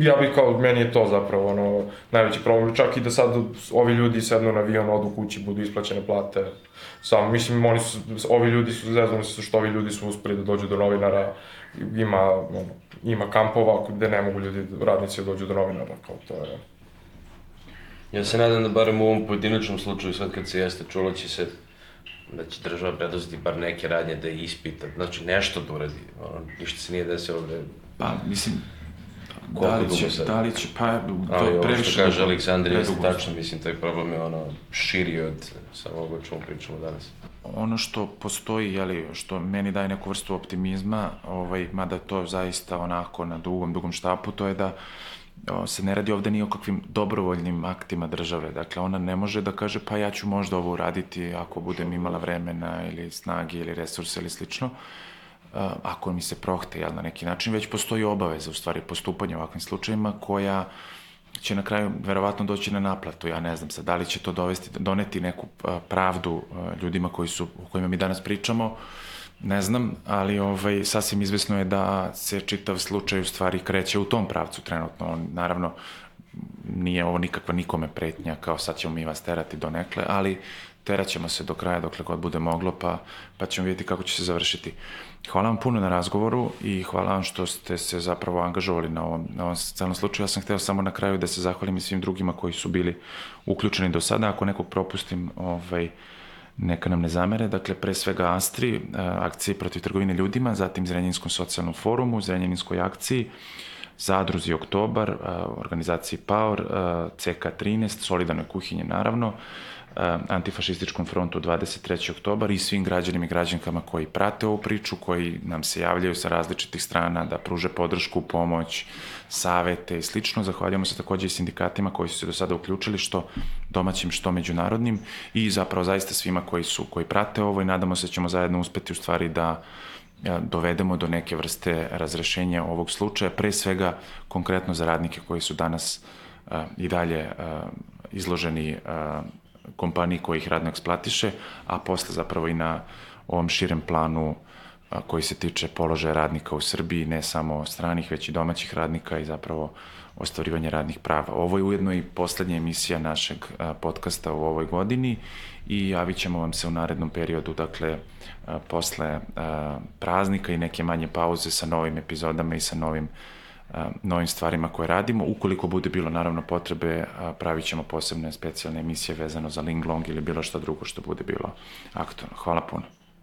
Ja bih meni je to zapravo najveći problem, čak i da sad ovi ljudi sednu na avion, odu kući, budu isplaćene plate. Samo, mislim, ovi ljudi su, zeznuli se što ovi ljudi su uspeli da dođu do novinara, ima kampova gde ne mogu radnici da dođu do novinara, kao to je. Ja se nadam da barem u ovom pojedinačnom slučaju, sad kad se jeste čulo da će država preduzeti bar neke radnje da ih ispita, znači nešto da uradi, ništa se nije desilo ovde. Pa, mislim, da li će, pa, to previše... Što kaže Aleksandar, jeste tačno, mislim, taj problem je širi od samog o čemu pričamo danas. Ono što postoji, što meni daje neku vrstu optimizma, mada to zaista onako na dugom štapu, to je da se ne radi ovde ni o kakvim dobrovoljnim aktima države. Dakle, ona ne može da kaže pa ja ću možda ovo uraditi ako budem imala vremena ili snage ili resurse ili slično, ako mi se prohte, na neki način, već postoji obaveza, u stvari, postupanja u ovakvim slučajima koja će na kraju verovatno doći na naplatu. Ja ne znam sad, da li će to doneti neku pravdu ljudima o kojima mi danas pričamo, ne znam, ali sasvim izvesno je da se čitav slučaj u stvari kreće u tom pravcu trenutno. Naravno, nije ovo nikakva nikome pretnja, kao sad ćemo mi vas terati donekle, ali teraćemo se do kraja dokle god bude moglo, pa ćemo vidjeti kako će se završiti. Hvala vam puno na razgovoru i hvala vam što ste se zapravo angažovali na ovom celom slučaju. Ja sam hteo samo na kraju da se zahvalim i svim drugima koji su bili uključeni do sada. Ako nekog propustim, neka nam ne zamere. Dakle, pre svega Astri, akciji protiv trgovine ljudima, zatim Zrenjaninskom socijalnom forumu, Zrenjaninskoj akciji, Zadruzi Oktobar, organizaciji PAOR, CK13, Solidarnoj kuhinji naravno, Antifašističkom frontu 23. oktobar i svim građanima i građankama koji prate ovu priču, koji nam se javljaju sa različitih strana da pruže podršku, pomoć, savete i slično. Zahvaljujemo se takođe i sindikatima koji su se do sada uključili, što domaćim, što međunarodnim, i zapravo zaista svima koji prate ovo, i nadamo se da ćemo zajedno uspeti u stvari da dovedemo do neke vrste razrešenja ovog slučaja, pre svega konkretno za radnike koji su danas i dalje izloženi kompaniji koji ih radno eksploatiše, a posle zapravo i na ovom širem planu koji se tiče položaja radnika u Srbiji, ne samo stranih, već i domaćih radnika i zapravo ostvarivanje radnih prava. Ovo je ujedno i poslednja emisija našeg podcasta u ovoj godini i javit ćemo vam se u narednom periodu, dakle, posle praznika i neke manje pauze sa novim epizodama i sa novim stvarima koje radimo. Ukoliko bude bilo naravno potrebe, pravit ćemo posebne specijalne emisije vezano za Linglong ili bilo šta drugo što bude bilo aktualno. Hvala puno.